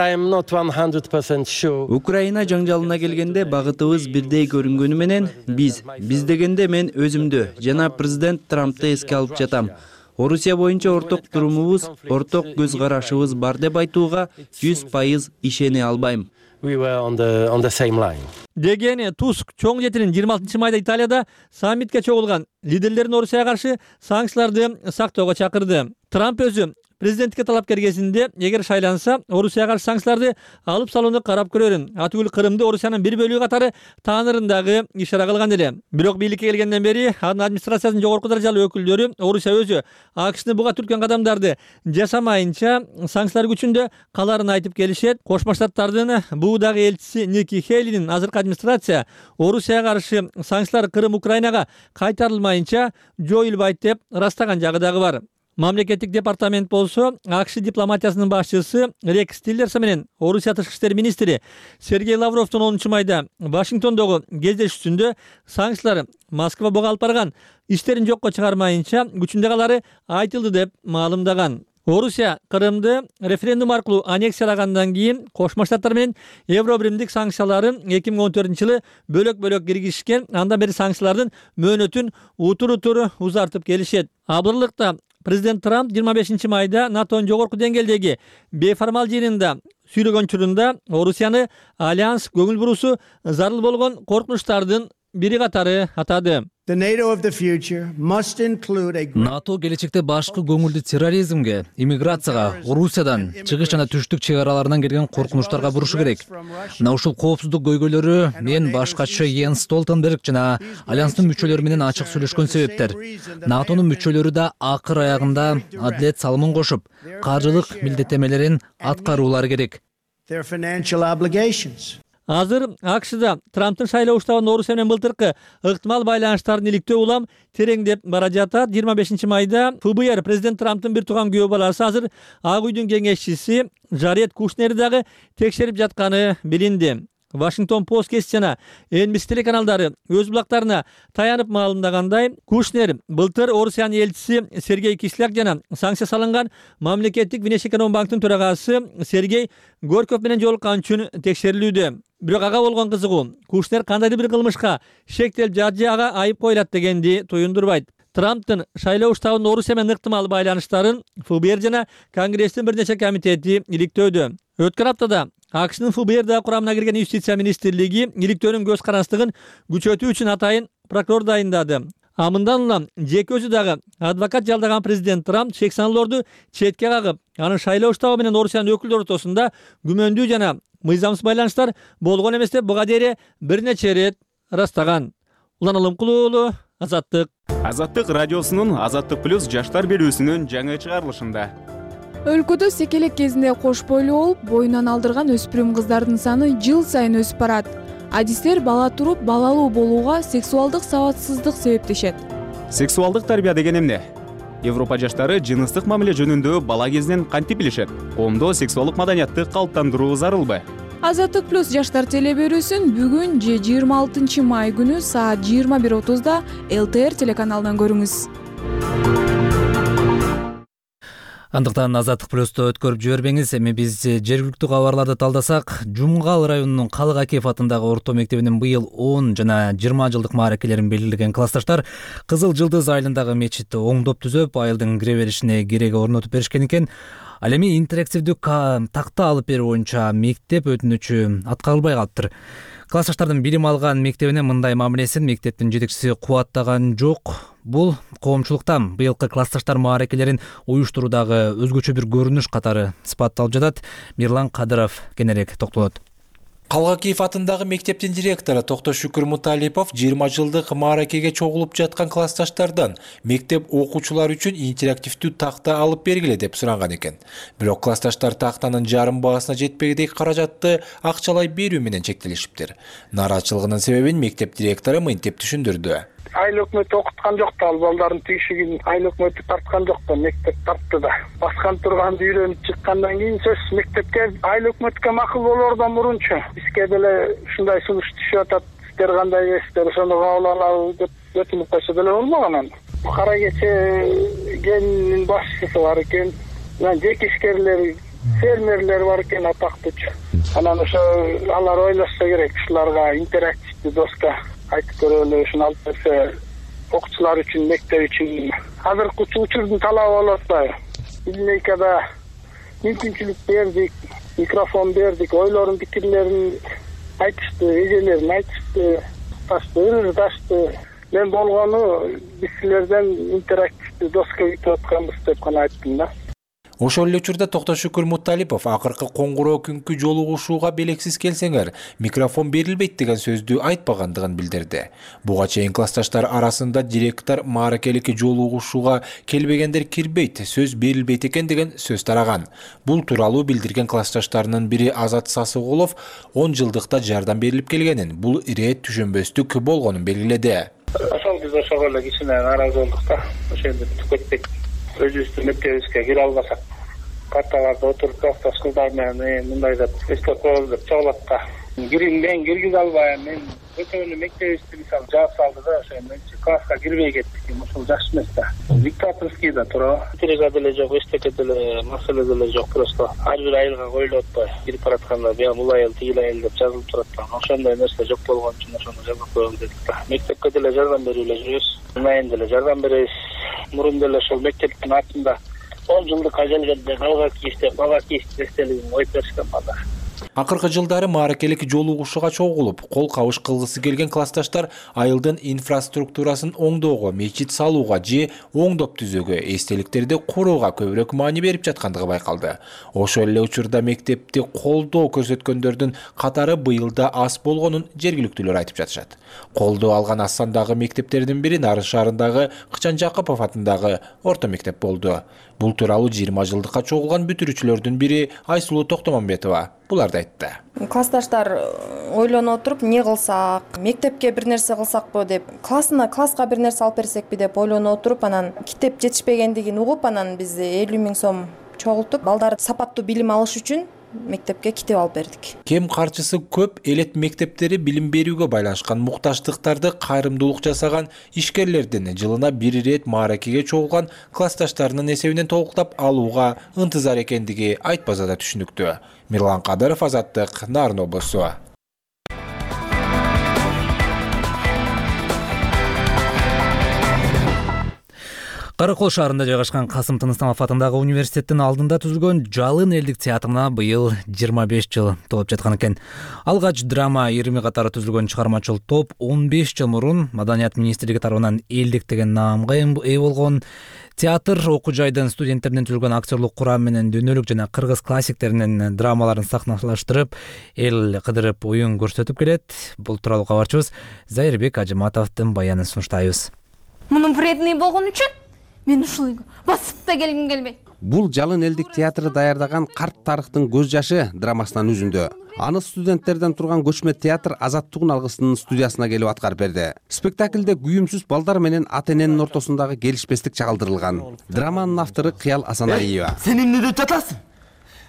Украина жаңжалына келгенде багытыбыз бирдей көрүнгөнү менен биз биз дегенде мен өзүмдү жана президент Трампты эске алып жатам. Орусия боюнча орток турумубуз, орток көз карашыбыз бар деп айтууга жүз пайыз ишене албайм. Деген Туск чоң жетинин жыйырма алтынчы майда Италияда саммитке чогулган лидерлерин Орусияга каршы санкцияларды сактоого чакырды. Трамп өзү президенттикке талапкер кезинде эгер шайланса, Орусияга каршы санкцияларды алып салууну карап көрөрүн. Атүгүл Кырымды Орусиянын бир бөлүгү катары таанырындагы ишара кылган эле. Бирок бийликке келгенден бери анын администрациясынын жогорку даражалуу өкүлдөрү Орусия өзү АКШны буга түрткөн кадамдарды жасамайынча санкциялар күчүндө каларын айтып келишет. Кошмо Штаттардын буудагы элчиси Ники Хейлинин азыркы администрация Орусияга каршы санкциялар Кырым Украинага кайтарылмайынча жоюлбайт деп ырастаган жагы дагы бар. Мамлекеттик департамент болсо АКШ дипломатиясынын башчысы Рекс Тиллерсон менен Орусия тышкы иштер министри Сергей Лавровдун онунчу майда Вашингтондогу кездешүүсүндө санкциялар Москва буга алып барган иштерин жокко чыгармайынча күчүндө калары айтылды деп маалымдаган. Орусия Крымды референдум аркылуу аннексиялагандан кийин Кошмо Штаттар менен Евробиримдик санкцияларын эки миң он төртүнчү жылы бөлөк-бөлөк киргизишкен. Андан бери санкциялардын мөөнөтүн утур-утур узартып келишет. Абырлыкта президент Трамп жыйырма бешинчи майда НАТОнун жогорку деңгээлдеги бейформал жыйынында сүйлөгөн учурунда Орусияны альянс көңүл буруусу зарыл болгон коркунучтардын бири катары атады. НАТО келечекте башкы көңүлдү терроризмге, иммиграцияга, Орусиядан, чыгыш жана түштүк чек араларынан келген коркунучтарга бурушу керек. Мына ушул коопсуздук көйгөйлөрү мен башкачы Йенс Столтенберг жана альянстын мүчөлөрү менен ачык сүйлөшкөн себептер. НАТОнун мүчөлөрү да акыр аягында адилет салымын кошуп, каржылык милдеттемелерин аткаруулары керек. Азыр АКШда Трамптын шайлоо уштабын Орусия менен былтыркы ыктымал байланыштарын иликтөө улам тереңдеп бара жатат. жыйырма бешинчи майда ФБР президент Трамптын бир тууган күйөө баласы азыр Ак үйдүн кеңешчиси Жаред Кушнерди дагы текшерип жатканы билинди. Вашингтон Пост гезит жана Эн Би Си телеканалдары өз булактарына таянып маалымдагандай, Кушнер былтыр Орусиянын элчиси Сергей Кисляк жана санкция салынган мамлекеттик Внешэкономбанктын төрагасы Сергей Горьков менен жолуккан үчүн текшерилүүдө. Бирок ага болгон кызыгуу Кушнер кандайдыр бир кылмышка шектелип жатжы ага айып коюлат дегенди туюндурбайт. Трамптын шайлоо уштабынын Орусия менен ыктымал байланыштарын ФБР жана Конгресстин бир нече комитети иликтөөдө. Өткөн аптада АКШнын ФБР да курамына кирген Юстиция министрлиги иликтөөнүн көз карандылыгын күчөтүү үчүн атайын прокурор дайындады. А мындан улам жеке өзү дагы адвокат жалдаган президент Трамп чек саналоорду четке кагып, анын шайлоо уштабы менен Орусиянын өкүлдөр ортосунда күмөндүү жана мыйзамсыз байланыштар болгон эмес деп буга дейин бир нече ирет ырастаган. Улан Алымкулуу уулу, Азаттык. Азаттык радиосунун Азаттык плюс жаштар берүүсүнүн жаңы чыгарылышында. Өлкөдө секелек кезинде кош бойлуу болуп, боюнан алдырган өспүрүм кыздардын саны жыл сайын өсүп барат. Адистер бала туруп балалуу болууга сексуалдык сабатсыздык себептешет. Сексуалдык тарбия деген эмне? Европа жаштары жыныстык мамиле жөнүндө бала кезинен кантип билишет? Коомдо сексуалдык маданиятты калыптандыруу зарылбы? Азаттык плюс жаштар теле берүүсүн бүгүн же жыйырма алтынчы май күнү саат жыйырма бир отузда Эл Тэ Эр телеканалынан көрүңүз. Андыктан Азаттык плюсту өткөрүп жибербеңиз. Эми биз жергиликтүү кабарларды талдасак, Жумгал районунун Калык Акиев атындагы орто мектебинин быйыл он жана жыйырма жылдык мааракелерин белгилеген классташтар Кызыл Жылдыз айылындагы мечитти оңдоп түзөп, айылдын кире беришине кереги орнотуп беришкен экен. Ал эми интерактивдүү такта алып берүү боюнча мектеп өтүнүчү аткарылбай калыптыр. Классташтардын билим алган мектебине мындай мамилесин мектептин жетекчиси кубаттаган жок. Бул коомчулуктан быйылкы классташтар мааракелерин уюштуруудагы өзгөчө бир көрүнүш катары сыпатталып жатат. Мирлан Кадыров кененирээк токтолот. Калык Акиев атындагы мектептин директору Токтошүкүр Муталипов жыйырма жылдык мааракеге чогулуп жаткан классташтардан мектеп окуучулары үчүн интерактивдүү такта алып бергиле деп суранган экен. Бирок классташтар тактанын жарым баасына жетпегидей каражатты акчалай берүү менен чектелишиптир. Нааразычылыгынын себебин мектеп директору мынтип түшүндүрдү. Айыл өкмөтү окуткан жок да, ал балдардын тигишигин айыл өкмөтү тарткан жок да, мектеп тартты да. Баскан турганды үйрөнүп чыккандан кийин сөз мектепке айыл өкмөткө макул болоордон мурунчу бизге деле ушундай сунуш түшүп атат, сиздер кандай эмессиздер, ошону кабыл алалы деп өтүнүп койсо деле болмогон анан. Кара кече кенинин башчысы бар экен, жеке ишкерлер, фермерлер бар экен атактуучу. Анан ошо алар ойлошсо керек, ушуларга интерактивдүү доска айтып көрөлү, ушуну алып берсе окуучулар үчүн, мектеп үчүн. Азыркы учурдун талабы болуп атпайбы? Линейкада мүмкүнчүлүк бердик, микрофон бердик, ойлорун, пикирлерин айтышты, эжелерин айтышты, ташты, ырдашты. Мен болгону биз силерден интерактивдүү доска күтүп атканбыз деп гана айттым да. Ошол эле учурда Токтошүкүр Муталипов акыркы коңгуроо күнкү жолугушууга белексиз келсеңер, микрофон берилбейт деген сөздү айтпагандыгын билдирди. Буга чейин классташтар арасында директор мааракеликке жолугушууга келбегендер кирбейт, сөз берилбейт экен деген сөз тараган. Бул тууралуу билдирген классташтарынын бири Азат Сасыгулов он жылдыкта жардам берилип келгенин, бул ирет түшүнбөстүк болгонун белгиледи. Ошол биз ошого эле кичине нааразы болдук да. Ошондо түкөтпөйт. Өзүбүздүн мектебибизге кире албасак, парталарда отуруп классташ кыздар менен мындай деп эстеп коелу деп чогулат да. мен киргизе албайм. Мен өтөнү мектебибизди мисалы жаап салды да, ошо мен класска кирбей кеттик. Ошол жакшы эмес да. Диктаторский да тура. Интерега деле жок, эчтеке деле маселе деле жок. Просто ар бир айылга коюлуп атпайбы? Кирип баратканда бия бул айыл, тигил айыл деп жазылып турат да. Ошондой нерсе жок болгон үчүн ошону жазып коелу дедик да. Мектепке деле жардам берип эле жүрөбүз. Майын деле жардам беребиз. Мурун деле ошол мектептин артында он жылдык ажалгенде галга кийиштеп, бала кийиштеп эстелигин коюп беришкен бала. Акыркы жылдары мааракелик жолугушууга чогулуп, кол кабыш кылгысы келген классташтар айылдын инфраструктурасын оңдоого, мечит салууга же оңдоп түзөөгө, эстеликтерди курууга көбүрөөк маани берип жаткандыгы байкалды. Ошол эле учурда мектепти колдоо көрсөткөндөрдүн катары быйыл да аз болгонун жергиликтүүлөр айтып жатышат. Колдоо алган аз сандагы мектептердин бири Нарын шаарындагы Кычан Жакупов атындагы орто мектеп болду. Бул тууралуу жыйырма жылдыкка чогулган бүтүрүүчүлөрдүн бири Айсулуу Токтомонбетова буларды айтты. Классташтар ойлонуп отуруп, эмне кылсак, мектепке бир нерсе кылсакпы деп, классына класска бир нерсе алып берсекпи деп ойлонуп отуруп, анан китеп жетишпегендигин угуп, анан биз элүү миң сом чогултуп, балдар сапаттуу билим алыш үчүн мектепке китеп алып бердик. Кем карчысы көп элет мектептери билим берүүгө байланышкан муктаждыктарды кайрымдуулук жасаган ишкерлердин жылына бир ирет мааракеге чогулган классташтарынын эсебинен толуктап алууга ынтызар экендиги айтпаса да түшүнүктүү. Мирлан Кадыров, Азаттык, Нарын облусу. Каракол шаарында жайгашкан Касым Тыныстамов атындагы университеттин алдында түзүлгөн Жалын элдик театрына быйыл жыйырма беш жыл толуп жаткан экен. Алгач драма ирими катары түзүлгөн чыгармачыл топ он беш жыл мурун Маданият министрлиги тарабынан элдик деген наамга ээ болгон. Театр окуу жайдын студенттеринен түзүлгөн актерлук курам менен дүйнөлүк жана кыргыз классиктеринин драмаларын сахналаштырып, эл кыдырып оюн көрсөтүп келет. Бул тууралуу кабарчыбыз Зайырбек Ажыматовдун баянын сунуштайбыз. Мунун вредный болгон үчүн мен ушул үйгө басып да келгим келбейт. Бул Жалын элдик театры даярдаган Карт тарыхтын көз жашы драмасынан үзүндү. Аны студенттерден турган көчмө театр Азаттыгын алгысынын студиясына келип аткарып берди. Спектаклде күйүмсүз балдар менен ата эненин ортосундагы келишпестик чагылдырылган. Драманын автору Кыял Асаналиева. Сен эмне деп жатасың?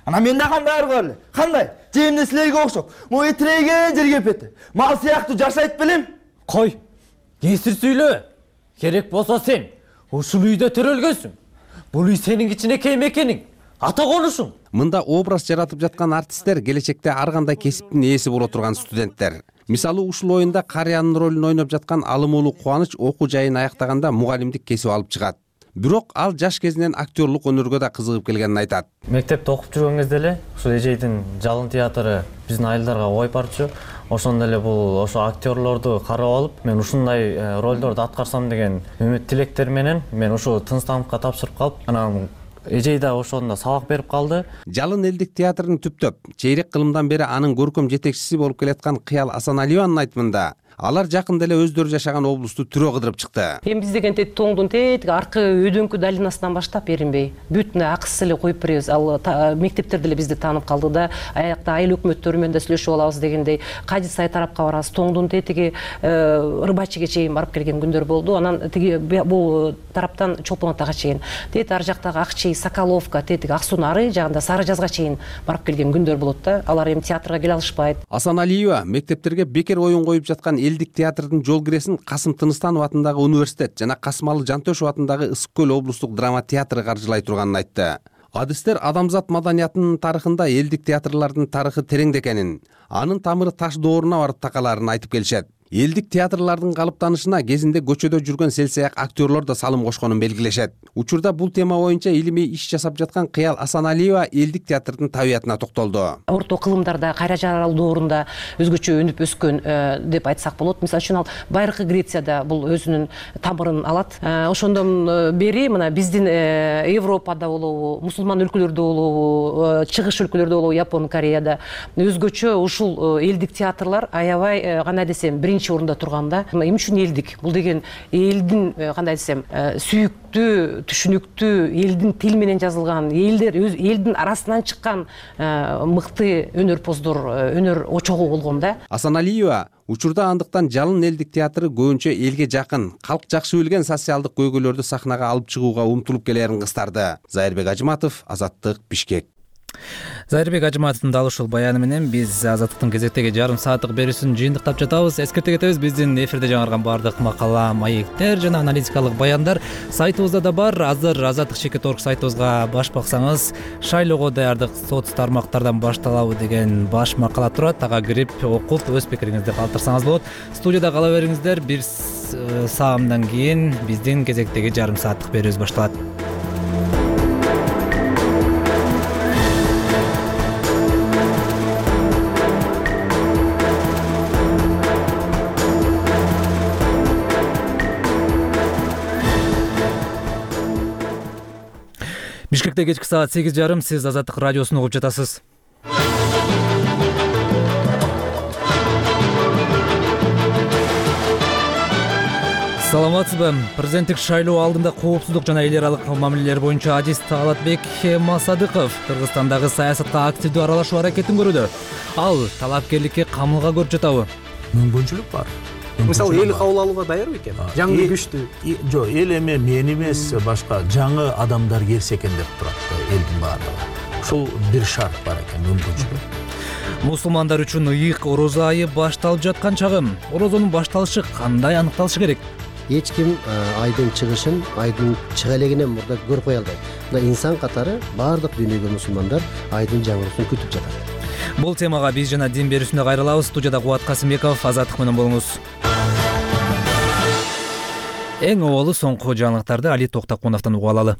Ана мен да кандай ар көрүлө? Кандай? Жемне силерге окшоп, могу тиреген жерге пети. Мал сыяктуу жашайт белем? Кой. Кесир сүйлө. Керек болсо сен ушул үйдө төрөлгөнсүң. Бул үй сенин кичинекей мекениң, ата конушуң. Мында образ жаратып жаткан артисттер келечекте ар кандай кесиптин ээси боло турган студенттер. Мисалы ушул оюнда карыянын ролун ойноп жаткан Алымуулу Кубаныч окуу жайын аяктаганда мугалимдик кесип алып чыгат. Бирок ал жаш кезинен актерлук өнөргө да кызыгып келгенин айтат. Мектепте окуп жүргөн кезде эле ушул эжейдин Жалын театры биздин айылдарга коюп барчу. Ошондо эле бул ошо актерлорду карап алып, мен ушундай ролдорду аткарсам деген үмүт тилектер менен мен ушу Тыныстамовго тапшырып калып, анан эжей да ошондо сабак берип калды. Жалын элдик театрын түптөп, чейрек кылымдан бери анын көркөм жетекчиси болуп келаткан Кыял Асаналиеванын айтымында, алар жакында эле өздөрү жашаган облусту түрө кыдырып чыкты. Эми биз деген тоңдун тетиги аркы өйдөңкү долинасынан баштап эринбей, бүтүн акысыз эле коюп беребиз. Ал мектептер деле бизди таанып калды да, аякта айыл өкмөттөрү менен да сүйлөшүп алабыз дегендей, Кажы сай тарапка барабыз. Тоңдун тетиги Рыбачыга чейин барып келген күндөр болду. Анан тиги бул тараптан Чолпон атага чейин, тет ар жактагы Акчей, Соколовка, тетиги Ак суунун ары жагында Сары жазга чейин барып келген күндөр болот да. Алар эми театрга келе алышпайт. Асаналиева мектептерге бекер оюн коюп жаткан элдик театрдын жол киресин Касым Тыныстанов атындагы университет жана Касымалы Жантөшев атындагы Ысык көл облустук драма театры каржылай турганын айтты. Адистер адамзат маданиятынын тарыхында элдик театрлардын тарыхы тереңде экенин, анын тамыры таш дооруна барып такаларын айтып келишет. Элдик театрлардын калыптанышына кезинде көчөдө жүргөн селсаяк актерлор да салым кошконун белгилешет. Учурда бул тема боюнча илимий иш жасап жаткан Кыял Асаналиева элдик театрдын табиятына токтолду. Орто кылымдарда, кайра жаралуу доорунда өзгөчө өнүп өскөн деп айтсак болот. Мисалы үчүн ал Байыркы Грецияда бул өзүнүн тамырын алат. Ошондон бери мына биздин Европада болобу, мусулман өлкөлөрдө болобу, чыгыш өлкөлөрдө болобу, Япон, Кореяда өзгөчө ушул элдик театрлар аябай кандай десем биринчи орунда турганда. Эмне үчүн элдик? Бул деген элдин кандай десем сүйүктүү, түшүнүктүү, элдин тил менен жазылган, элдер өз элдин арасынан чыккан мыкты өнөрпоздор, өнөр очогу болгон да. Асаналиева учурда андыктан Жалын элдик театры көбүнчө элге жакын, калк жакшы билген социалдык көйгөйлөрдү сахнага алып чыгууга умтулуп келерин кыстарды. Зайырбек Ажыматов, Азаттык, Бишкек. Зайырбек Ажыматовдун дал ушул баяны менен биз Азаттыктын кезектеги жарым сааттык берүүсүн жыйынтыктап жатабыз. Эскерте кетебиз, биздин эфирде жаңырган баардык макала, маектер жана аналитикалык баяндар сайтыбызда да бар. Азыр азаттык чекит точка орг сайтыбызга баш баксаңыз, шайлоого даярдык соц тармактардан башталабы деген баш макала турат. Ага кирип окуп өз пикириңизди калтырсаңыз болот. Студияда кала бериңиздер. Бир саамдан кийин биздин кезектеги жарым сааттык берүүбүз башталат. Бишкекте кечки саат сегиз жарым, сиз Азаттык радиосун угуп жатасыз. Саламатсызбы? Президенттик шайлоо алдында коопсуздук жана эл аралык мамилелер боюнча адис Талатбек Масадыков Кыргызстандагы саясатка активдүү аралашуу аракетин көрүүдө. Ал талапкерликке камылга көрүп жатабы? Мүмкүнчүлүк бар. Мисалы эл кабыл алууга даяр бекен? Жаңы күчтүү. Жок, эл эме мен эмес, башка жаңы адамдар келсе экен деп турат элдин баардыгы. Ушул бир шарт бар экен, мүмкүнчүлүк. Мусулмандар үчүн ыйык орозо айы башталып жаткан чагым. Орозонун башталышы кандай аныкталышы керек? Эч ким айдын чыгышын, айдын чыга элегинен мурда көрүп кое албайт. Мына инсан катары баардык дүйнөгө мусулмандар айдын жаңырысын күтүп жатат. Бул темага биз жана дин берүүсүндө кайрылабыз. Студияда Кубат Касымбеков, Азаттык менен болуңуз. Эң оболу соңку жаңылыктарды Али Токтокуновдон угуп алалы.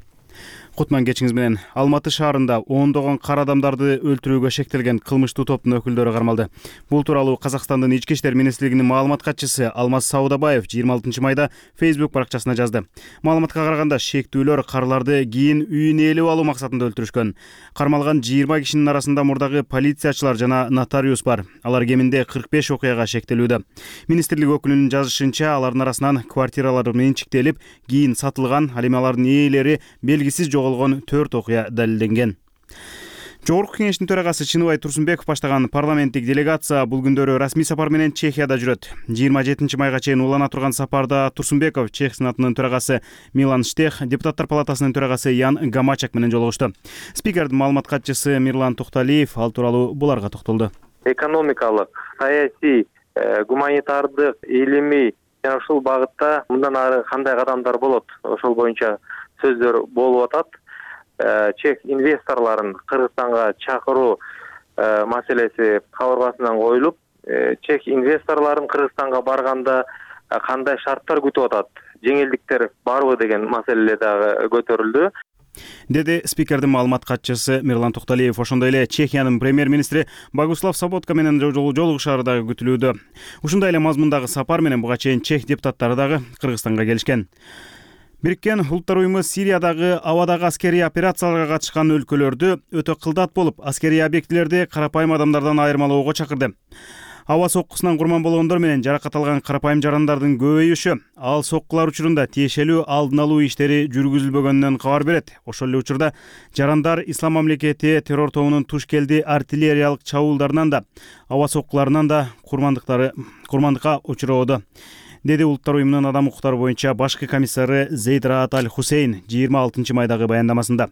Кутман кечиңиз менен. Алматы шаарында ондогон кара адамдарды өлтүрүүгө шектелген кылмыштуу топтун өкүлдөрү кармалды. Бул тууралуу Казакстандын ички иштер министрлигинин маалымат катчысы Алмаз Саудабаев жыйырма алтынчы майда Facebook баракчасына жазды. Маалыматка караганда шектүүлөр карларды кийин үйүнө ээлеп алуу максатында өлтүрүшкөн. Кармалган жыйырма кишинин арасында мурдагы полициячылар жана нотариус бар. Алар кеминде кырк беш окуяга шектелүүдө. Министрлик өкүлүнүн жазышынча, алардын арасынан квартиралар менчиктелип, кийин сатылган, ал эми алардын ээлери белгисиз жоголгон төрт окуя далилденген. Жогорку кеңештин төрагасы Чыныбай Турсунбеков баштаган парламенттик делегация бул күндөрү расмий сапар менен Чехияда жүрөт. жыйырма жетинчи майга чейин улана турган сапарда Турсунбеков Чех сенатынын төрагасы Милан Штех, депутаттар палатасынын төрагасы Ян Гамачак менен жолугушту. Спикердин маалымат катчысы Мирлан Токталиев ал тууралуу буларга токтолду. Экономикалык, саясий, гуманитардык, илимий жана ушул багытта мындан ары кандай кадамдар болот, ошол боюнча сөздөр болуп атат. Чех инвесторларын Кыргызстанга чакыруу маселеси кабыргасынан коюлуп, чех инвесторларын Кыргызстанга барганда кандай шарттар күтүп атат, жеңилдиктер барбы деген маселелер дагы көтөрүлдү, деди спикердин маалымат катчысы Мирлан Токталиев. Ошондой эле Чехиянын премьер-министри Богуслав Саботка менен жолугушаары дагы күтүлүүдө. Ушундай эле мазмундагы сапар менен буга чейин чех депутаттары дагы Кыргызстанга келишкен. Бириккен Улуттар уюму Сириядагы абадагы аскерий операцияларга катышкан өлкөлөрдү өтө кылдат болуп, аскерий объектилерди карапайым адамдардан айырмалоого чакырды. Аба соккусунан курман болгондор менен жаракат алган карапайым жарандардын көбөйүшү ал соккулар учурунда тиешелүү алдын алуу иштери жүргүзүлбөгөнүнөн кабар берет. Ошол эле учурда жарандар Ислам мамлекети террор тобунун туш келди артиллериялык чабуулдарынан да, аба соккуларынан да курмандыктары курмандыкка учуроодо, деди Улуттар уюмунун адам укуктары боюнча башкы комиссары Зейд Раат Аль Хусейн жыйырма алтынчы майдагы баяндамасында.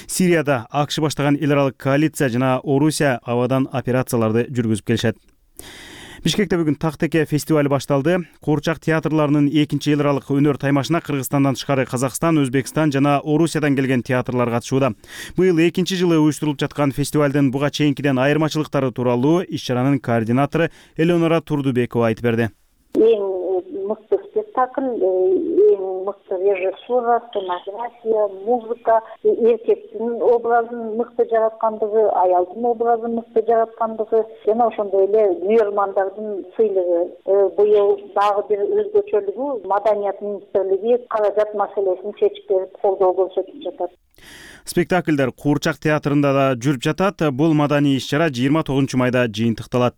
Сирияда АКШ баштаган эл аралык коалиция жана Орусия абадан операцияларды жүргүзүп келишет. Бишкекте бүгүн Тактеке фестивалы башталды. Куурчак театрларынын экинчи эл аралык өнөр таймашына Кыргызстандан тышкары Казакстан, Өзбекстан жана Орусиядан келген театрлар катышууда. Быйыл экинчи жылы уюштурулуп жаткан фестивалдын буга чейинкиден айырмачылыктары тууралуу иш-чаранын координатору Элеонора Турдубекова айтып берди. Мыкты спектакль, эң мыкты режиссура, сценография, музыка, эркектин образын мыкты жараткандыгы, аялдын образын мыкты жараткандыгы жана ошондой эле күйөрмандардын сыйлыгы. Быйыл дагы бир өзгөчөлүгү Маданият министрлиги каражат маселесин чечип берип колдоо көрсөтүп жатат. Спектакльдер Куурчак театрында да жүрүп жатат. Бул маданий иш-чара жыйырма тогузунчу майда жыйынтыкталат.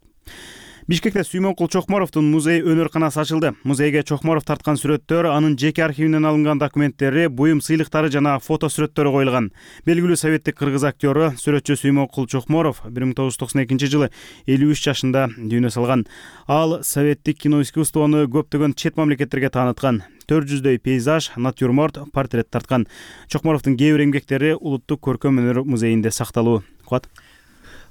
Бишкекте Сүймөнкул Чокморовдун музей өнөр-канасы ачылды. Музейге Чокморов тарткан сүрөттөр, анын жеке архивинен алынган документтери, буюм сыйлыктары жана фото сүрөттөрү коюлган. Белгилүү советтик кыргыз актёру, сүрөтчү Сүймөнкул Чокморов бир миң тогуз жүз токсон экинчи жылы элүү үч жашында дүйнө салган. Ал советтик кино искусствону көптөгөн чет мамлекеттерге тааныткан. төрт жүздөй пейзаж, натюрморт, портрет тарткан. Чокморовдун кээ бир эмгектери Улуттук көркөм өнөр музейинде сакталуу. Кубат.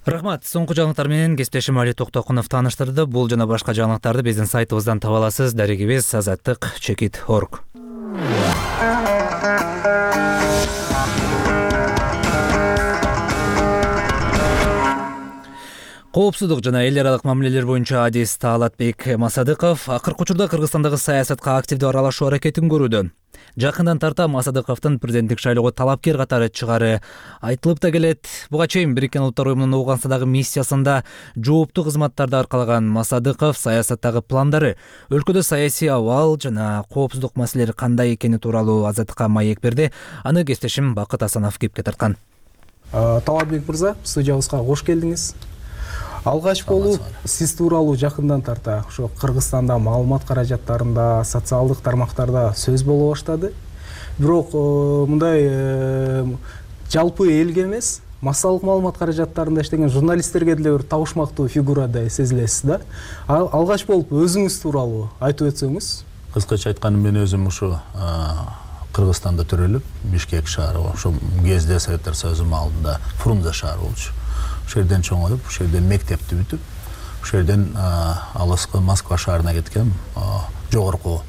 Рахмат. Соңку жаңылыктар менен кесиптешим Али Токтокунов тааныштырды. Бул жана башка жаңылыктарды биздин сайтыбыздан таба аласыз. Дарегибиз азаттык чекит точка орг. Коопсуздук жана эл аралык мамилелер боюнча адис Таалатбек Масадыков акыркы учурда Кыргызстандагы саясатка активдүү аралашуу аракетин көрүүдө. Жакындан тарта Масадыковдун президенттик шайлоого талапкер катары чыгары айтылып да келет. Буга чейин Бириккен Улуттар уюмунун Ооганстандагы миссиясында жооптуу кызматтарды аркалаган Масадыков саясаттагы пландары, өлкөдө саясий абал жана коопсуздук маселелери кандай экени тууралуу Азаттыкка маек берди. Аны кесиптешим Бакыт Асанов кепке тарткан. Талапбек мырза, студиябызга кош келдиңиз. Алгач болуп, сиз тууралуу жакындан тарта ошо Кыргызстанда маалымат каражаттарында, социалдык тармактарда сөз боло баштады. Бирок мындай жалпы элге эмес, массалык маалымат каражаттарында иштеген журналисттерге деле бир табышмактуу фигурадай сезилесиз да. Алгач болуп өзүңүз тууралуу айтып өтсөңүз. Кыскача айтканда мен өзүм ушу Кыргызстанда төрөлүп, Бишкек шаары, ошо кезде Советтер Союзу маалында Фрунзе шаары болчу. Ошол жерден чоңоюп, ошол жерден мектепти бүтүп, ошол жерден алыскы Москва шаарына кеткем, жогорку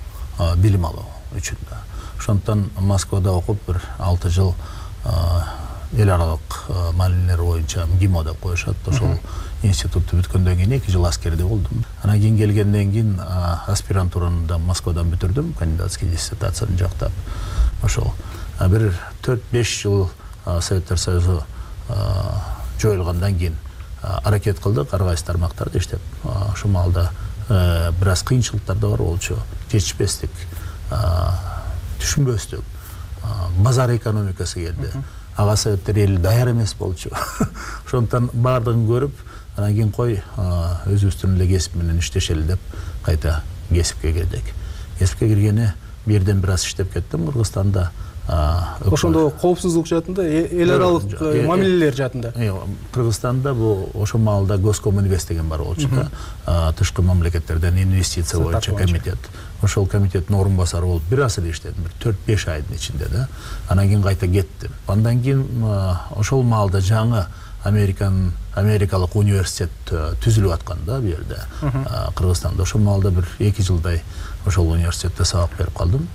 билим алуу үчүн да. Ошондон Москвада окуп бир алты жыл эл аралык мамилелер боюнча ГИМО деп коюшат. Ошол институтту бүткөндөн кийин эки жыл аскерде болдум. Анан кийин келгенден кийин аспирантураны да Москвадан бүтүрдүм, кандидатский диссертацияны жактап. Ошол бир төрт беш жыл Советтер Союзу жоюлгандан кийин аракет кылдык, ар кайсы тармактарда иштеп. Ошол маалда бир аз кыйынчылыктар да бар болчу. Жетишпестик, түшүнбөстүк, базар экономикасы келди. Ага Советтер эли даяр эмес болчу. Ошондон баардыгын көрүп, анан кийин кой өзүбүздүн эле кесип менен иштешели деп кайта кесипке кирдик. Кесипке киргени бир жерден бир аз иштеп кеттим Кыргызстанда. Ошондо коопсуздук жаатында, эл аралык мамилелер жаатында. Кыргызстанда бул ошол маалда Госкоминвест деген бар болчу да. Тышкы мамлекеттерден инвестиция боюнча комитет. Ошол комитеттин орун басары болуп бир аз эле иштедим, бир төрт беш айдын ичинде да. Анан кийин кайта кеттим. Андан кийин ошол маалда жаңы Американ Америкалык университет түзүлүп аткан да бу жерде. Кыргызстанда ошол маалда бир эки жылдай ошол университетте сабак берип калдым.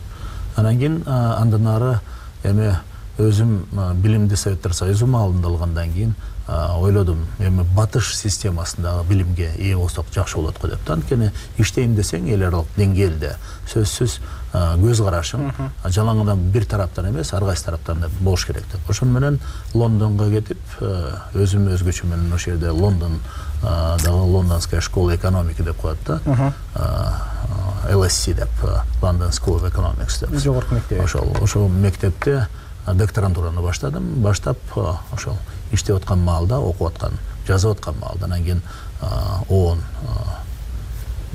Анан кийин андан ары эми өзүм билимди Советтер Союзу маалында алгандан кийин ойлодум, эми батыш системасындагы билимге ээ болсок жакшы болот го деп. Анткени иштейм десең эл аралык деңгээлде сөзсүз көз карашың жалаңадан бир тараптан эмес, ар кайсы тараптан болуш керек деп. Ошон менен Лондонго кетип, өзүм өзгөчө менен ошол жерде Лондон дагы Лондонская школа экономики деп коет да. эл эс си деп, London School of Economics деп. Жогорку мектеп. Ошол ошол мектепте докторантураны баштадым. Баштап ошол иштеп аткан маалда, окуп аткан, жазып аткан маалда анан кийин ООН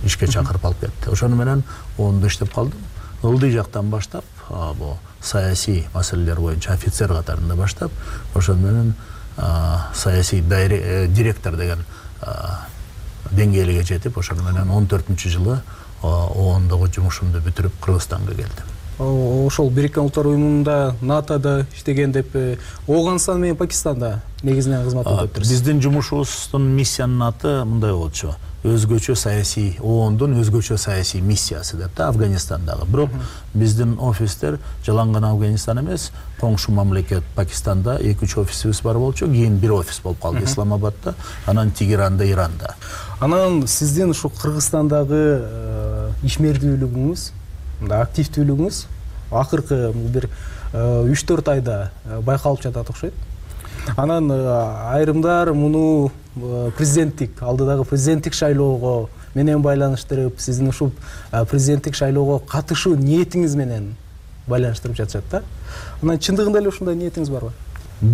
ишке чакырып алып кетти. Ошону менен ООНдо иштеп калдым. Ылдый жактан баштап, бул саясий маселелер боюнча офицер катарында баштап, ошону менен саясий директор деген деңгээлге жетип, ошону менен он төртүнчү жылы оондогу жумушумду бүтүрүп Кыргызстанга келдим. Ошол Бириккен Улуттар уюмунда НАТОда иштеген деп, Ооганстан менен Пакистанда негизинен кызмат өтөп турсуз. Биздин жумушубуздун миссиянын аты мындай болчу. Өзгөчө саясий, оондун өзгөчө саясий миссиясы деп да, Афганистандагы. Бирок биздин офистер жалаңган Афганистан эмес, коңшу мамлекет Пакистанда эки үч офисибиз бар болчу, кийин бир офис болуп калды Исламабадда, анан Тегеранда, Иранда. Анан сиздин ушу Кыргызстандагы ишмердүүлүгүңүз, активдүүлүгүңүз акыркы бир үч төрт айда байкалып жатат окшойт. Анан айрымдар муну президенттик, алдыдагы президенттик шайлоого менен байланыштырып, сиздин ушул президенттик шайлоого катышуу ниетиңиз менен байланыштырып жатышат да. Анан чындыгында эле ушундай ниетиңиз барбы?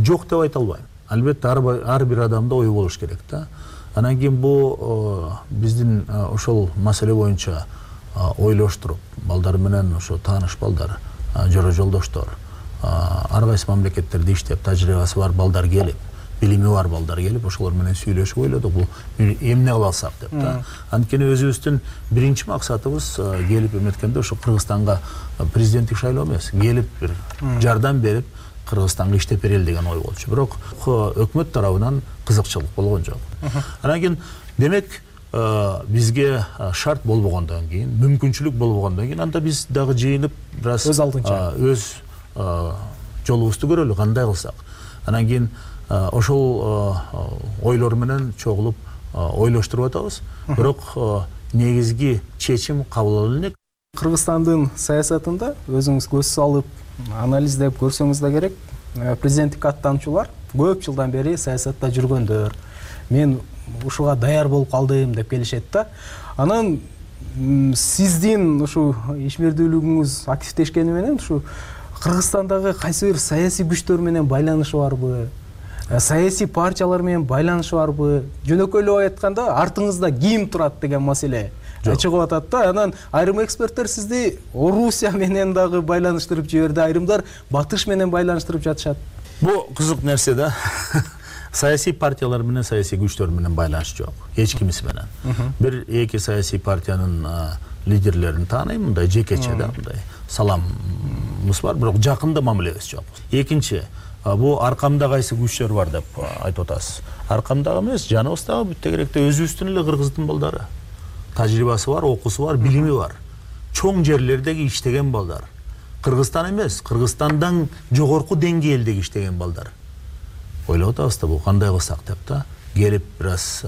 Жок деп айта албайм. Албетте ар бир адамда ой болуш керек да. Анан кийин бул биздин ошол маселе боюнча ойлоштуруп, балдар менен ошо тааныш балдар, жора жолдоштор, ар кайсы мамлекеттерде иштеп, тажрыйбасы бар балдар келип, билими бар балдар келип ошолор менен сүйлөшүп ойлодук бул эмне кыла алсак деп да. Анткени өзүбүздүн биринчи максатыбыз келип эметкенде ошо Кыргызстанга президенттик шайлоо эмес, келип бир жардам берип Кыргызстанга иштеп берели деген ой болчу. Бирок өкмөт тарабынан кызыкчылык болгон жок. Анан кийин демек бизге шарт болбогондон кийин, мүмкүнчүлүк болбогондон кийин анда биз дагы жыйынып бир аз өз алдынча өз жолубузду көрөлү, кандай кылсак. Анан кийин ошол ойлор менен чогулуп ойлоштуруп атабыз. Бирок негизги чечим кабыл алып элек. Кыргызстандын саясатында өзүңүз көз салып анализдеп көрсөңүз да керек, президенттикке аттануучулар көп жылдан бери саясатта жүргөндөр. Мен ушуга даяр болуп калдым деп келишет да. Анан сиздин ушу ишмердүүлүгүңүз активдешкени менен ушу Кыргызстандагы кайсы бир саясий күчтөр менен байланышы барбы? Саясий партиялар менен байланышы барбы? Жөнөкөйлөп айтканда артыңызда ким турат деген маселе чыгып атат да. Анан айрым эксперттер сизди Орусия менен дагы байланыштырып жиберди, айрымдар Батыш менен байланыштырып жатышат. Бул кызык нерсе да. Саясий партиялар менен, саясий күчтөр менен байланыш жок. Эч кимиси менен. Бир эки саясий партиянын лидерлерин тааныйм, мындай жекече да, мындай саламыбыз бар, бирок жакында мамилебиз жок. Экинчи, бул аркамда кайсы күчтөр бар деп айтып атасыз. Аркамдагы эмес, жаныбыздагы бүт тегеректе өзүбүздүн эле кыргыздын балдары. Тажрыйбасы бар, окуусу бар, билими бар. Чоң жерлердеги иштеген балдар. Кыргызстан эмес, Кыргызстандан жогорку деңгээлдеги иштеген балдар. Ойлоп атабыз да, бул кандай кылсак деп да, келип бир аз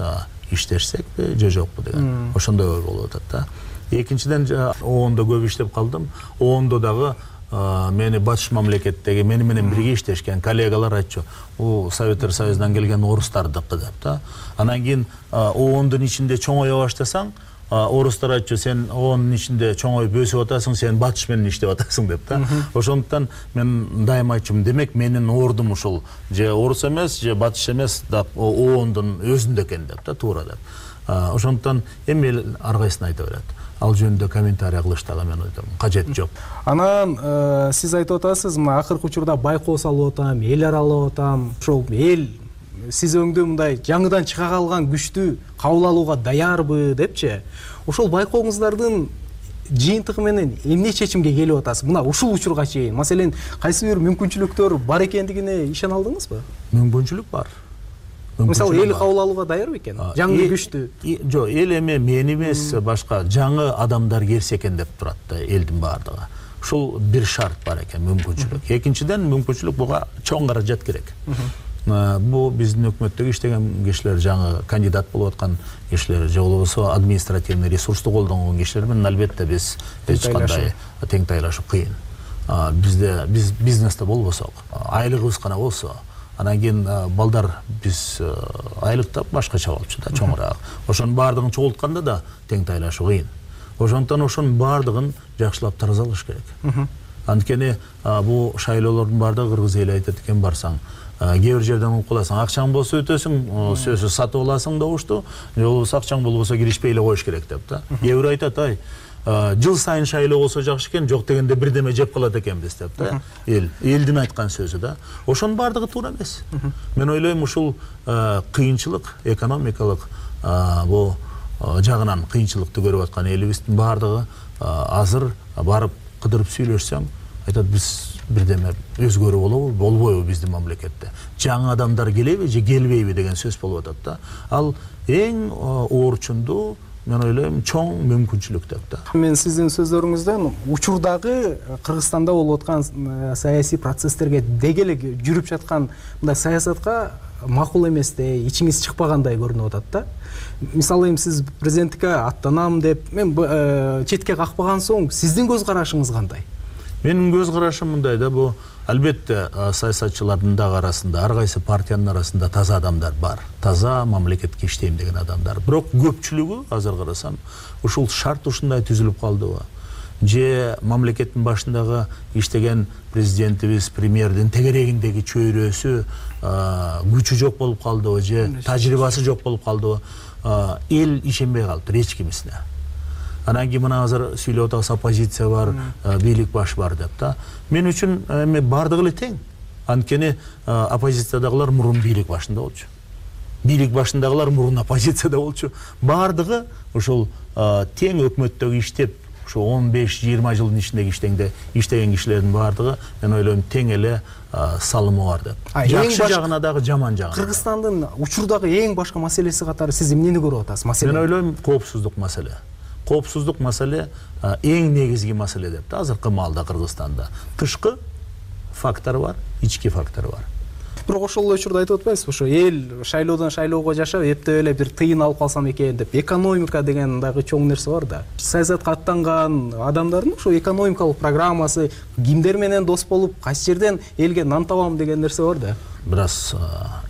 иштешсекпи же жокпу деген. Ошондой ой болуп атат да. Экинчиден оондо көп иштеп калдым. оондо дагы мени Батыш мамлекеттеги мени менен бирге иштешкен коллегалар айтчу, бул Советтер Союзунан келген орустардыкы деп да. Анан кийин оондун ичинде чоңое баштасаң, орустар айтчу, сен оонун ичинде чоңоюп өсүп атасың, сен Батыш менен иштеп атасың деп да. Ошондуктан мен дайыма айтчумун, демек менин ордум ушул же орус эмес, же Батыш эмес, оондун өзүндө экен деп да, туура деп. Ошондуктан эми эл ар кайсысын айта берет. Ал жөнүндө комментарий кылыштагы мен ойдом, кажет жок. Анан сиз айтып атасыз, мына акыркы учурда байкоо салып атам, эл аралап атам. Ошол эл сиз өңдө мындай жаңыдан чыга калган күчтү кабыл алууга даярбы депчи. Ошол байкооңуздардын жыйынтыгы менен эмне чечимге келип атасыз? Мына ушул учурга чейин, маселен, кайсы бир мүмкүнчүлүктөр бар экендигине ишене алдыңызбы? Мүмкүнчүлүк бар. Мисалы, эл кабыл алууга даяр бекен? Жаңы күчтү. Жок, эл эме мен эмес, башка жаңы адамдар келсе экен деп турат да элдин баардыгы. Ушул бир шарт бар экен, мүмкүнчүлүк. Экинчиден, мүмкүнчүлүк буга чоң каражат керек. Бул биздин өкмөттөгү иштеген кишилер, жаңы кандидат болуп аткан кишилер, же болбосо административный ресурсту колдонгон кишилер менен албетте биз эч кандай тең тайлашуу кыйын. Бизде биз бизнесте болбосок, айлыгыбыз гана болсо, анан кийин балдар биз айлыктап башкача болчу да, чоңураак. Ошонун баардыгын чогултканда да тең тайлашуу кыйын. Ошондуктан ошонун баардыгын жакшылап таразалаш керек. Анткени бул шайлоолордун баардыгы кыргыз эли айтат экен, барсаң, кээ бир жерден угуп каласың, акчаң болсо өтөсүң, сөзсүз сатып аласың добушту, же болбосо акчаң болбосо киришпей эле коюш керек деп да. Кээ бир айтат, ай, жыл сайын шайлоо болсо жакшы экен, жок дегенде бирдеме жеп калат экенбиз деп да. Эл, элдин айткан сөзү да. Ошонун баардыгы туура эмес. Мен ойлойм, ушул кыйынчылык, экономикалык бул жагынан кыйынчылыкты көрүп аткан элибиздин баардыгы азыр барып кыдырып сүйлөшсөң, айтат, биз бирдеме өзгөрүү болобу, болбойбу биздин мамлекетте. Жаңы адамдар келеби же келбейби деген сөз болуп атат да. Ал эң оорчундуу, мен ойлойм, чоң мүмкүнчүлүк деп да. Мен сиздин сөздөрүңүздөн учурдагы Кыргызстанда болуп аткан саясий процесстерге деги эле жүрүп жаткан мындай саясатка макул эместей, ичиңиз чыкпагандай көрүнүп атат да. Мисалы, сиз президенттикке аттанам деп мен четке какпаган соң, сиздин көз карашыңыз кандай? Менин көз карашым мындай да, бул албетте саясатчылардын дагы арасында, ар кайсы партиянын арасында таза адамдар бар. Таза мамлекетке иштейм деген адамдар. Бирок көпчүлүгү азыр карасам, ушул шарт ушундай түзүлүп калдыбы? Же мамлекеттин башындагы иштеген президентибиз, премьердин тегерегиндеги чөйрөсү, күчү жок болуп калдыбы, же тажрыйбасы жок болуп калдыбы? Эл ишенбей калыптыр эч кимисине. Анан кийин мына азыр сүйлөп атабыз, оппозиция бар, бийлик баш бар деп да. Мен үчүн эми бардыгы эле тең. Анткени оппозициядагылар мурун бийлик башында болчу. Бийлик башындагылар мурун оппозицияда болчу. Бардыгы ошол тең өкмөттөгү иштеп, ошо он беш жыйырма жылдын ичинде иштегенде иштеген кишилердин бардыгы мен ойлойм тең эле салымы бар деп. Жакшы жагына дагы, жаман жагына. Кыргызстандын учурдагы эң башка маселеси катары сиз эмнени көрүп атасыз? Маселе. Мен ойлойм коопсуздук маселе. Коопсуздук маселе эң негизги маселе деп. Азыркы маалда Кыргызстанда тышкы фактор бар, ички фактор бар. Бирок ошол учурда айтып атпайсызбы, ошо эл шайлоодон шайлоого жашап, эптеп эле бир тыйын алып калсам экен деп. Экономика деген дагы чоң нерсе бар да. Саясатка аттанган адамдардын ошо экономикалык программасы, кимдер менен дос болуп, кайсы жерден элге нан табам деген нерсе бар да. Бир аз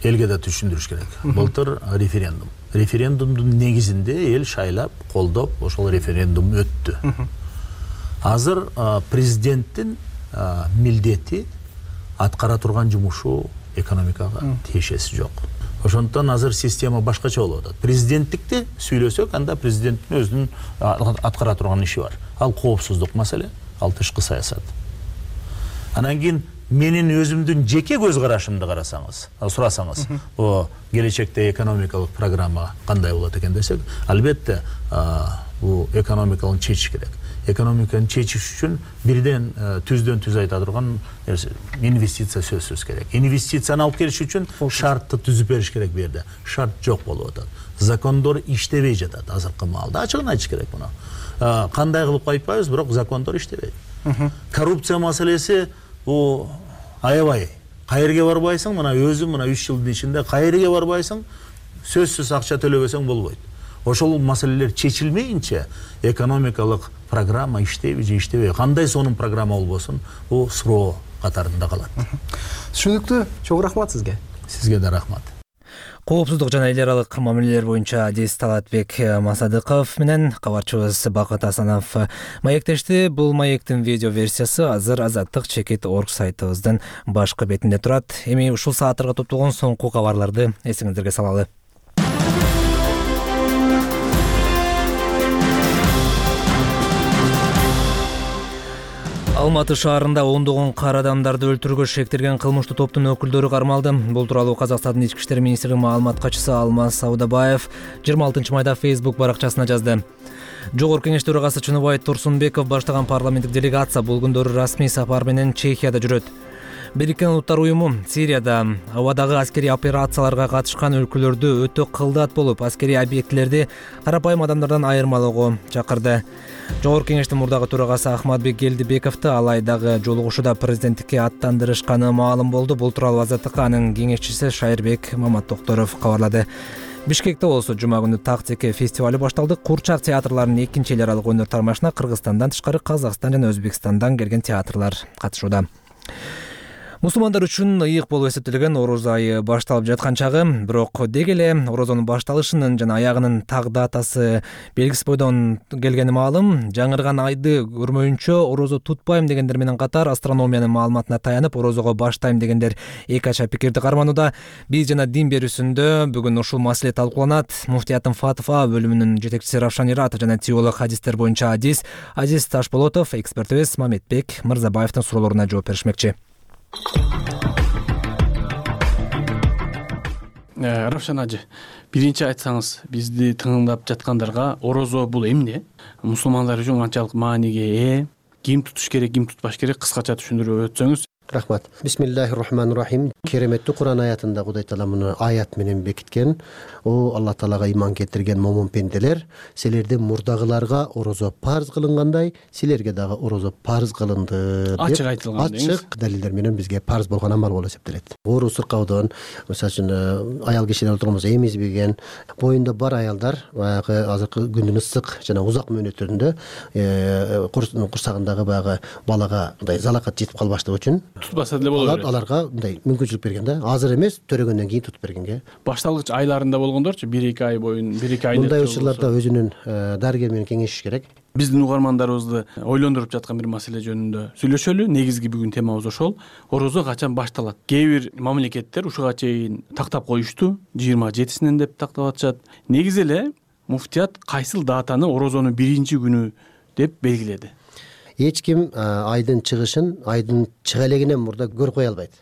элге да түшүндүрүш керек. Былтыр референдум. Референдумдун негизинде эл шайлап, колдоп, ошол референдум өттү. Азыр президенттин милдети аткара турган жумушу экономикага тиешеси жок. Ошондон азыр система башкача болуп атат. Президенттикти сүйлөсөк, анда президенттин өзүнүн аткара турган иши бар. Ал коопсуздук маселе, ал тышкы саясат. Анан кийин менин өзүмдүн жеке көз карашымды карасаңыз, сурасаңыз, о келечекте экономикалык программа кандай болот экен десек, албетте бул экономикалык чечиш керек. Экономиканы чечиш үчүн бирден түздөн түз айта турган инвестиция сөзсүз керек. Инвестицияны алып келиш үчүн шартты түзүп бериш керек бу жерде. Шарт жок болуп атат. Закондор иштебей жатат азыркы маалда. Ачыгын айтыш керек муну. Кандай кылып айтпайбыз, бирок закондор иштебейт. Коррупция маселеси бу аябай. Кайерге барбайсың, мына өзүм мына үч жылдын ичинде кайерге барбайсың, сөзсүз акча төлөбөсөң болбойт. Ошол маселелер чечилмейинче экономикалык программа иштейби же иштебейби, кандай сонун программа болбосун, бул суроо катарында калат. Түшүнүктүү. Чоң рахмат сизге. Сизге да рахмат. Коопсуздук жана эл аралык мамилелер боюнча адис Талатбек Масадыков менен кабарчыбыз Бакыт Асанов маектешти. Бул маектин видео версиясы азыр азаттык чекит орг сайтыбыздын башкы бетинде турат. Эми ушул сааттарга топтолгон соңку кабарларды эсиңиздерге салалы. Алматы шаарында ондогон кара адамдарды өлтүрүүгө шектелген кылмыштуу топтун өкүлдөрү кармалды. Бул тууралуу Казакстандын ички иштер министринин маалымат катчысы Алмаз Саудабаев жыйырма алтынчы майда Facebook баракчасына жазды. Жогорку Кеңеш төрагасы Чыныбай Турсунбеков баштаган парламенттик делегация бул күндөрү расмий сапар менен Чехияда жүрөт. Бириккен Улуттар уюму Сирияда абадагы аскерий операцияларга катышкан өлкөлөрдү өтө кылдат болуп, аскерий объектилерди карапайым адамдардан айырмалоого чакырды. Жогорку Кеңештин мурдагы төрагасы Ахматбек Келдибековду алайдагы жолугушууда президенттикке аттандырышканы маалым болду. Бул тууралуу Азаттыкка анын кеңешчиси Шайырбек Маматтокторов кабарлады. Бишкекте болсо жума күнү Тактеке фестивалы башталды. Курчак театрларынын экинчи эл аралык өнөр тармашына Кыргызстандан тышкары Казакстан жана Өзбекстандан келген театрлар катышууда. Мусулмандар үчүн ыйык болуп эсептелген Ороз айы башталып жаткан чагы, бирок деги эле Орозонун башталышынын жана аягынын так датасы белгисиз бойдон келгени маалым. Жаңырган айды көрмөйүнчө орозо тутпайм дегендер менен катар астрономиянын маалыматына таянып орозого баштайм дегендер эки ача пикирди карманууда. Биз жана дин берүүсүндө бүгүн ушул маселе талкууланат. Муфтиятын Фатва бөлүмүнүн жетекчиси Равшан Ират жана теолог хадистер боюнча адис Азиз Ташболотов экспертибиз Мамедбек Мырзабаевдин суроолоруна жооп беришмекчи. Равшан ажы, биринчи айтсаңыз, бизди тыңдап жаткандарга орозо бул эмне? Мусулмандар үчүн канчалык мааниге ээ? Ким тутуш керек, ким тутпаш керек? Кыскача түшүндүрүп өтсөңүз. Рахмат. Бисмиллахир-рахманир-рахим. Кереметтүү Куран аятында Кудай Таала муну аят менен бекиткен. О Алла Таалага ыйман келтирген момун пенделер, силердин мурдагыларга орозо парз кылынгандай, силерге дагы орозо парз кылынды. Ачык айтылган. Ачык далилдер менен бизге парз болгон амал болуп эсептелет. Оору сыркаудон, мисалы үчүн аял кишилер отурганбыз эмизбеген, боюнда бар аялдар баягы азыркы күндүн ысык жана узак мөөнөттөрүндө курсагындагы баягы балага мындай залакат жетип калбаштыгы үчүн тутпаса деле болот. Аларга мындай мүмкүнчүлүк берген да. Азыр эмес, төрөгөндөн кийин тутуп бергенге. Башталгыч айларында болгондорчу бир эки ай боюн, бир эки ай. Мындай учурларда өзүнүн дарыгер менен кеңешиш керек. Биздин угармандарыбызды ойлондуруп жаткан бир маселе жөнүндө сүйлөшөлү. Негизги бүгүн темабыз ошол. Орозо качан башталат? Кээ бир мамлекеттер ушуга чейин тактап коюшту. жыйырма жетисинен деп тактап атышат. Негизи эле муфтият кайсыл датаны орозонун биринчи күнү деп белгиледи? Эч ким айдын чыгышын айдын чыга элегинен мурда көрүп кое албайт.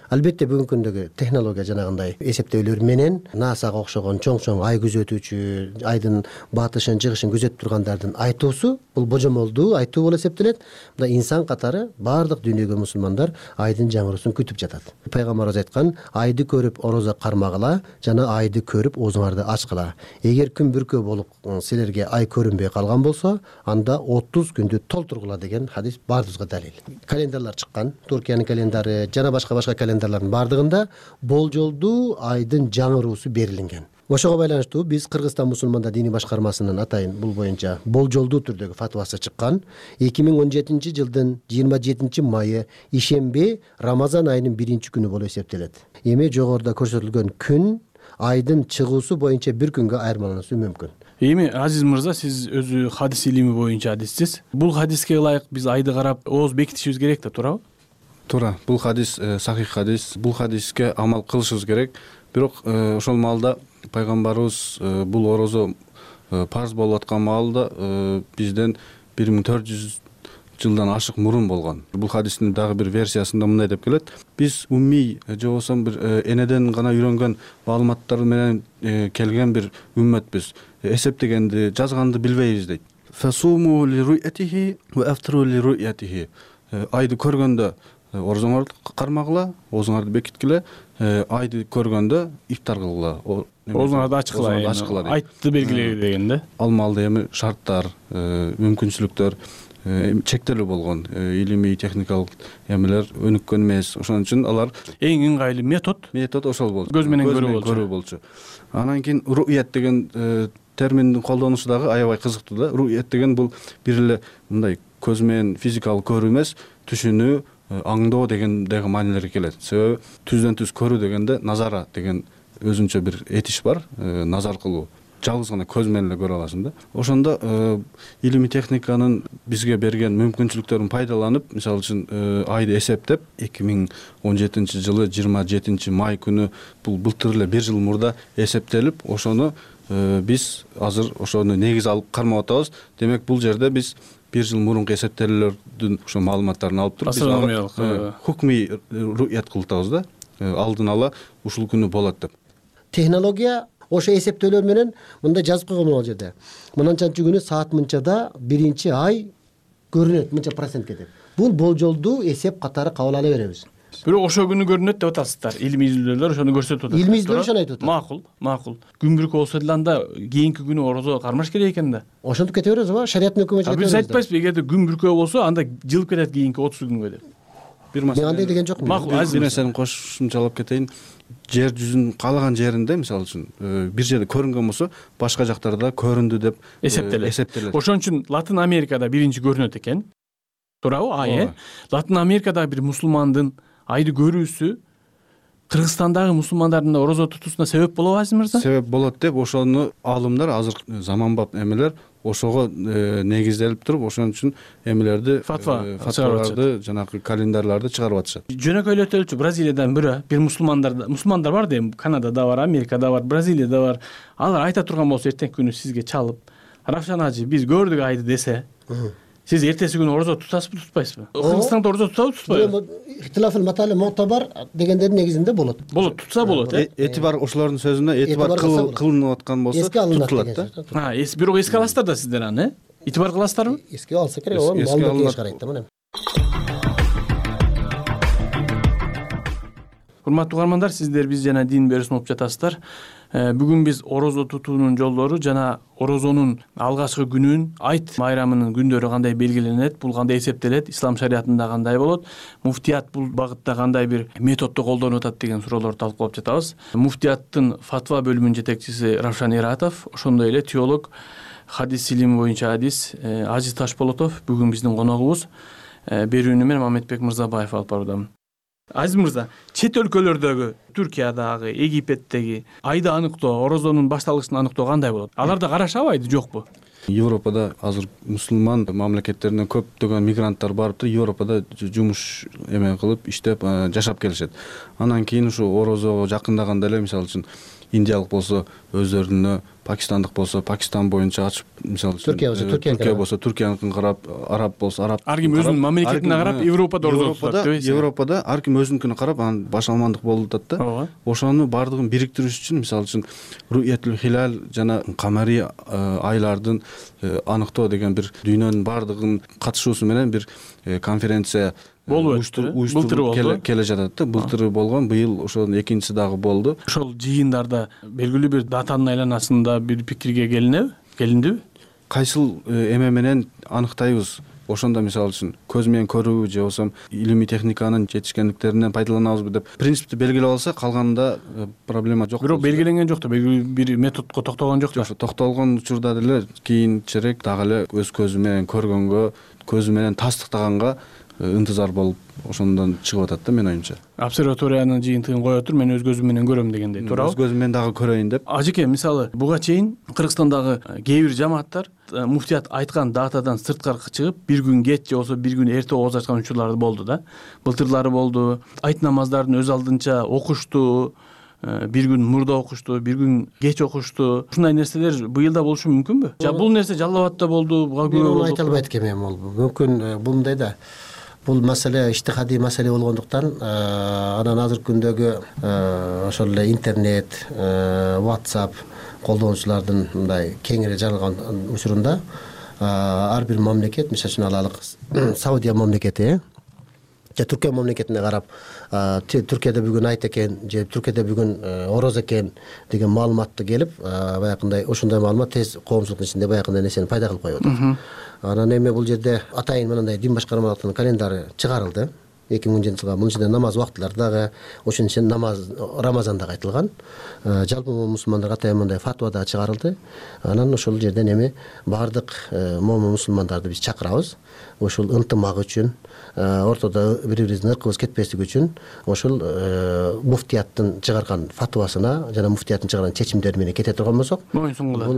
Албетте бүгүнкү күндөгү технология жанагындай эсептөөлөр менен насага окшогон чоң чоң ай күзөтүүчү, айдын батышын чыгышын күзөтүп тургандардын айтуусу бул божомолдуу айтуу болуп эсептелет. Мына инсан катары баардык дүйнөгө мусулмандар айдын жаңыруусун күтүп жатат. Пайгамбарыбыз айткан, айды көрүп орозо кармагыла жана айды көрүп оозуңарды ачкыла. Эгер күн бүркөө болуп силерге ай көрүнбөй калган болсо, анда отуз күндү толтургула деген хадис баарыбызга далил. Календарлар чыккан, Туркиянын календары жана башка башка календарлардын баардыгында болжолдуу айдын жаңыруусу берилинген. Ошого байланыштуу биз Кыргызстан мусулмандар диний башкармасынын атайын бул боюнча болжолдуу түрдөгү фатвасы чыккан. эки миң он жетинчи жылдын жыйырма жетинчи майы ишемби Рамазан айынын биринчи күнү болуп эсептелет. Эми жогоруда көрсөтүлгөн күн айдын чыгуусу боюнча бир күнгө айырмалануусу мүмкүн. Эми Азиз мырза, сиз өзү хадис илими боюнча адиссиз. Бул хадиске ылайык биз айды карап ооз бекитишибиз керек да, туурабы? Туура. Бул хадис сахих хадис. Бул хадиске амал кылышыбыз керек. Бирок ошол маалда пайгамбарыбыз бул орозо парз болуп аткан маалда бизден бир миң төрт жүз жылдан ашык мурун болгон. Бул хадистин дагы бир версиясында мындай деп келет: биз уммий же болбосо бир энеден гана үйрөнгөн маалыматтар менен келген бир үммөтбүз. Эсептегенди, жазганды билбейбиз дейт. Фасуму ли ру'ятихи ва афтру ли ру'ятихи. Айды көргөндө орозоңорду кармагыла, оозуңарды бекиткиле, айды көргөндө ифтар кылгыла. Оозуңарды ачкыла, айтты белгилеги деген да. Ал маалда эми шарттар, мүмкүнчүлүктөр чектелүү болгон, илимий техникалык эмелер өнүккөн эмес. Ошон үчүн алар эң ыңгайлуу метод метод ошол болчу. Көз менен көрүү болчу. Анан кийин ру'ят деген терминдин колдонушу дагы аябай кызыктуу да. Ру'ят деген бул бир эле мындай көз менен физикалык көрүү эмес, түшүнүү, аңдоо деген деген маанилерге келет. Себеби түздөн түз көрүү дегенде назара деген өзүнчө бир этиш бар, назар кылуу. Жалгыз гана көз менен эле көрө аласың да. Ошондо илимий техниканын бизге берген мүмкүнчүлүктөрүн пайдаланып, мисалы үчүн айды эсептеп, эки миң он жетинчи жылы жыйырма жетинчи май күнү бул былтыр эле бир жыл мурда эсептелип, ошону биз азыр ошону негиз алып кармап атабыз. Демек бул жерде биз бир жыл мурунку эсептелүүлөрдүн ошо маалыматтарын алып туруп биз хукмий ру'ят кылып атабыз да. Алдын ала ушул күнү болот деп. Технология ошо эсептөөлөр менен мындай жазып койгон ал жерде. Мынанчанчы күнү саат мынчада биринчи ай көрүнөт, мынча процентке деп. Бул болжолдуу эсеп катары кабыл ала беребиз. Бирок ошо күнү көрүнөт деп атасыздар. Илимий изилдөөлөр ошону көрсөтүп атат. Илимий изилдөөлөр ошону айтып атат. Макул, макул. Күн бүркөө болсо деле анда кийинки күнү орозо кармаш керек экен да. Ошентип кете беребиз ба? Шариаттын өкүмү чыгат. Биз айтпайсызбы, эгерде күн бүркөө болсо, анда жылып кетет кийинки отуз күнгө деп. Бир маселе. Мен андай деген жокмун. Макул, бир нерсени кошумчалап кетейин. Жер жүзүнүн каалаган жеринде, мисалы үчүн, бир жерде көрүнгөн болсо, башка жактарда көрүндү деп эсептелет. Ошон үчүн Латын Америкада биринчи көрүнөт экен. Туурабы? Ай, Латын Америкада бир мусулмандын айды көрүүсү Кыргызстандагы мусулмандардын орозо тутуусуна себеп болобу, Азиз мырза? Себеп болот деп ошону аалымдар азыр заманбап эмелер ошого негизделип туруп, ошон үчүн эмелерди, фатваларды, жанагы календарларды чыгарып атышат. Жөнөкөйлөтөлчү Бразилиядан бирөө, бир мусулмандар мусулмандар бар да, Канадада бар, Америкада бар, Бразилияда бар. Алар айта турган болсо эртеңки күнү сизге чалып, Равшан ажы, биз көрдүк айды десе, сиз эртеси күнү орозо тутасызбы, тутпайсызбы? Кыргызстанда орозо тутабы, тутпайбы? Ихтилафыл матали муътабар дегендердин негизинде болот. Болот, тутса болот, э? Этибар ошолордун сөзүнө этибар кылынып аткан болсо тутулат да. Ha, эс бирок эске аласыздар да сиздер аны, э? Этибар кыласыздарбы? Эске алса керек, ооба, маалымат карайт да, мына. Урматтуу угармандар, сиздер биз жана дин берүүсүн угуп жатасыздар. Бүгүн биз орозо тутуунун жолдору жана орозонун алгачкы күнүн, айт майрамынын күндөрү кандай белгиленет, бул кандай эсептелет, ислам шариятында кандай болот, муфтият бул багытта кандай бир методду колдонуп атат деген суроолорду талкуулап жатабыз. Муфтияттын фатва бөлүмүнүн жетекчиси Равшан Иратов, ошондой эле теолог, хадис илими боюнча адис Азиз Ташполотов бүгүн биздин коногубуз. Берүүнү мен Мамедбек Мырзабаев алып баруудамын. Азиз мырза, чет өлкөлөрдөгү, Түркиядагы, Египеттеги айды аныктоо, орозонун башталышын аныктоо кандай болот? Аларда карашабы айды, жокпу? Европада азыр мусулман мамлекеттеринен көптөгөн мигранттар барыптыр, Европада жумуш эме кылып иштеп жашап келишет. Анан кийин ушу орозого жакындаганда эле мисалы үчүн индиялык болсо өздөрүнө, пакистандык болсо Пакистан боюнча ачып, мисалы үчүн Түркия болсо Түркия болсо Түркияныкын карап, араб болсо араб. Ар ким өзүнүн мамлекетине карап Европада орозо тутат деппейсиз? Европада ар ким өзүнүкүнө карап анан башаламандык болуп атат да. Ошону баардыгын бириктириш үчүн мисалы үчүн Ру'ятул Хилал жана Камари айлардын аныктоо деген бир дүйнөнүн баардыгынын катышуусу менен бир конференция болуп өттү. Былтыр болду. Келе жатат да. Былтыр болгон, быйыл ошонун экинчиси дагы болду. Ошол жыйындарда белгилүү бир датанын айланасында бир пикирге келинеби? Келиндиби? Кайсыл эме менен аныктайбыз? Ошондо мисалы үчүн көз менен көрүүбү же болбосо илимий техниканын жетишкендиктеринен пайдаланабызбы деп принципти белгилеп алса, калганында проблема жок. Бирок белгиленген жок да, белгилүү бир методко токтолгон жок да. Жок, токтолгон учурда деле кийинчерээк дагы эле өз көзү менен көргөнгө, көзү менен тастыктаганга ынтызар болуп ошондон чыгып атат да менин оюмча. Обсерваториянын жыйынтыгын коё тур, мен өз көзүм менен көрөм дегендей, туурабы? Өз көзүм менен дагы көрөйүн деп. Ажеке, мисалы буга чейин Кыргызстандагы кээ бир жамааттар муфтият айткан датадан сырткары чыгып, бир күн кеч же болбосо бир күн эрте ооз ачкан учурлар болду да. Былтырлары болду. Айт намаздарын өз алдынча окушту, бир күн мурда окушту, бир күн кеч окушту. Ушундай нерселер быйыл да болушу мүмкүнбү? Жа бул нерсе Жалал Абадта болду, буга күбө болду. Мен айта албайт экенмин, ал мүмкүн мындай да. Бул маселе иштихадий маселе болгондуктан анан азыркы күндөгү ошол эле интернет, WhatsApp колдонуучулардын мындай кеңири жаралган учурунда ар бир мамлекет, мисалы үчүн алалык Саудия мамлекети же Түркия мамлекетине карап, Түркияда бүгүн айт экен же Түркияда бүгүн ороз экен деген маалыматты келип, баягындай ошондой маалымат тез коомчулуктун ичинде баягындай нерсени пайда кылып коюп атат. Анан эми бул жерде атайын мындай дин башкармалыктын календары чыгарылды. эки миң он жетинчи жылга мунун ичинде намаз убактылары дагы, ошонун ичинде намаз Рамазан дагы айтылган. Жалпы мусулмандарга атайын мындай фатва да чыгарылды. Анан ошол жерден эми баардык момун мусулмандарды биз чакырабыз. Ошол ынтымак үчүн, ортодо бири-бирибиздин ыркыбыз кетпеслиги үчүн ошол муфтияттын чыгарган фатвасына жана муфтияттын чыгарган чечимдери менен кете турган болсок, бул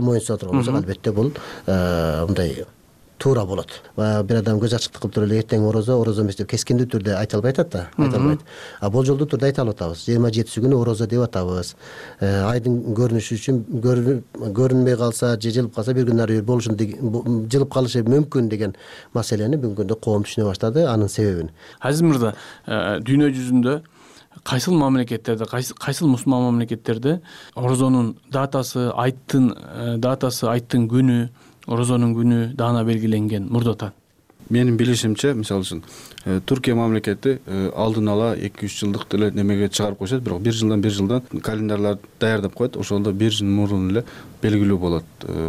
моюн суна турган болсок, албетте бул мындай туура болот. Бир адам көз ачыктык кылып туруп эле эртең орозо, орозо эмес деп кескиндүү түрдө айта албай атат да, айта албайт. А болжолдуу түрдө айта алып атабыз. жыйырма жетиси күнү орозо деп атабыз. Айдын көрүнүшү үчүн көрүнбөй калса, же жылып калса бир күн ары бери болушун, жылып калышы мүмкүн деген маселени бүгүнкү күндө коом түшүнө баштады, анын себебин. Азиз мырза, дүйнө жүзүндө кайсыл мамлекеттерде, кайсыл мусулман мамлекеттерде орозонун датасы, айттын датасы, айттын күнү, орозонун күнү даана белгиленген мурдатан? Менин билишимче, мисалы үчүн Түркия мамлекети алдын ала эки үч жылдык деле немеге чыгарып коюшат, бирок бир жылдан бир жылдан календарларды даярдап коет. Ошондо бир жыл мурун эле белгилүү болот,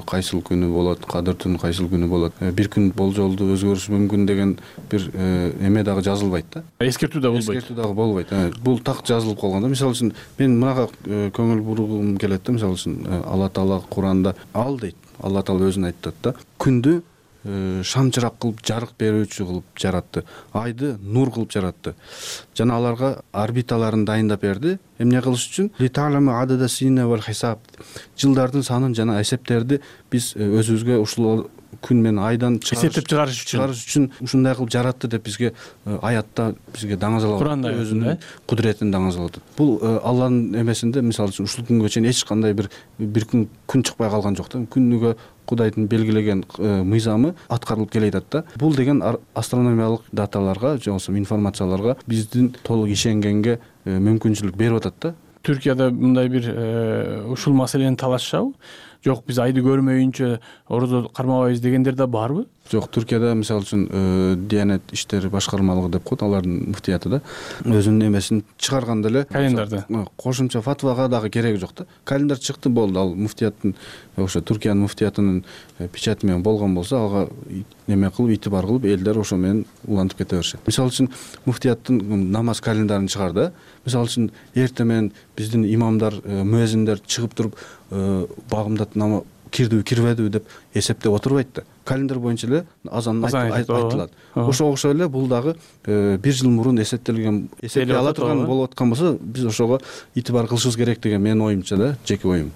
кайсыл күнү болот, кадыр түнү кайсыл күнү болот. Бир күн болжолду өзгөрүшү мүмкүн деген бир эме дагы жазылбайт да. Эскертүү да болбойт. Эскертүү дагы болбойт. Бул так жазылып калган да. Мисалы үчүн мен мынага көңүл бургум келет да, мисалы үчүн Алла Таала Куранда ал дейт. Алла Таала өзүн айтат да. Күндү шамчырак кылып, жарык берүүчү кылып жаратты. Айды нур кылып жаратты. Жана аларга орбиталарын дайындап берди. Эмне кылыш үчүн? Лита'ламу адада синна вал хисаб. Жылдардын санын жана эсептерди биз өзүбүзгө ушул күн менен айдан эсептеп чыгарыш үчүн чыгарыш үчүн ушундай кылып жаратты деп бизге аятта бизге даңазалап, Куранда өзүнүн кудуретин даңазалап атат. Бул Алланын эмесинде, мисалы үчүн ушул күнгө чейин эч кандай бир бир күн күн чыкпай калган жок да. Күнүгө Кудайдын белгилеген мыйзамы аткарылып келе атат да. Бул деген астрономиялык даталарга же болбосо информацияларга биздин толук ишенгенге мүмкүнчүлүк берип атат да. Түркияда мындай бир ушул маселени талашышабы? Жок, биз айды көрмөйүнчө орозо кармабайбыз дегендер да барбы? Жок, Түркияда мисалы үчүн Диянет иштери башкармалыгы деп коет, алардын муфтияты да өзүнүн эмесин чыгарганда эле календарды кошумча фатвага дагы кереги жок да. Календар чыкты, болду. Ал муфтияттын ошо Түркиянын муфтиятынын печати менен болгон болсо, ага неме кылып, итибар кылып, элдер ошо менен улантып кете беришет. Мисалы үчүн муфтияттын намаз календарын чыгарды. Мисалы үчүн эртең менен биздин имамдар, муэзиндер чыгып туруп багымдат нама кирдиби, кирбедиби деп эсептеп отурбайт да. Календар боюнча эле азан айтылат. Ошого окшой эле бул дагы бир жыл мурун эсептелген, эсептей ала турган болуп аткан болсо, биз ошого итибар кылышыбыз керек деген менин оюмча да, жеке оюм.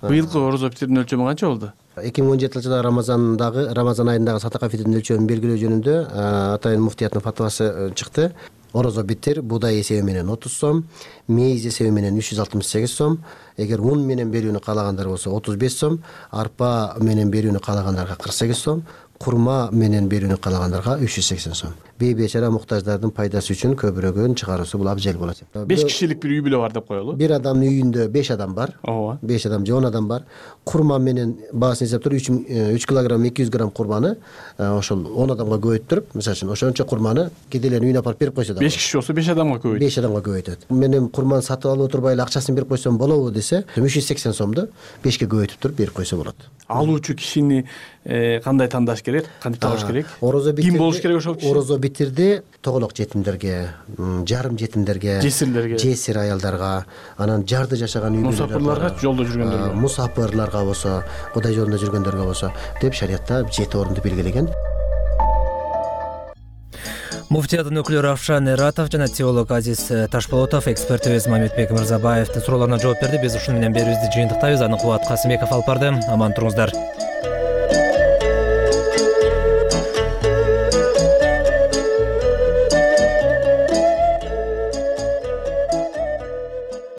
Быйылкы орозо битирүүнүн өлчөмү канча болду? эки миң он жетинчи жылы рамазандагы рамазан айындагы садака фитрдин өлчөмүн белгилөө жөнүндө Атайын муфтияттын фатвасы чыкты. Орозо битир буудай эсеби менен отуз сом, мейиз эсеби менен үч жүз алтымыш сегиз сом, эгер ун менен берүүнү каалагандар болсо отуз беш сом, арпа менен берүүнү каалагандарга кырк сегиз сом, курма менен берүүнү каалагандарга үч жүз сексен сом. Бейбечара муктаждардын пайдасы үчүн көбүрөгүн чыгаруусу бул абзел болот. беш кишилик бир үй бүлө бар деп коелу. Бир адамдын үйүндө беш адам бар. Ооба. беш адам же он адам бар. Курма менен баасын эсептеп үч килограмм эки жүз грамм курманы ошол он адамга көбөйттүрүп, мисалы үчүн ошончо курманы кедейлердин үйүнө апарып берип койсо да. беш киши болсо беш адамга көбөйт. беш адамга көбөйтөт. Мен курманы сатып алып отурбай эле акчасын берип койсом болобу десе, үч жүз сексен сомду бешке көбөйтүп туруп берип койсо болот. Алуучу кишини кандай тандаш керек? Кантип табыш керек? Орозо битирди. Ким болуш керек ошол киши? Орозо битирди тоголок жетимдерге, жарым жетимдерге, жесирлерге, жесир аялдарга, анан жарды жашаган үй бүлөлөргө, мусафирларга, жолдо жүргөндөргө, мусафирларга болсо, Кудай жолунда жүргөндөргө болсо деп шариятта жети орунду белгилеген. Муфтияттын өкүлү Равшан Эратов жана теолог Азиз Ташполотов, экспертибиз Мамедбек Мырзабаевдин суроолоруна жооп берди. Биз ушуну менен берүүбүздү жыйынтыктайбыз. Аны Кубат Касымбеков алып барды. Аман туруңуздар.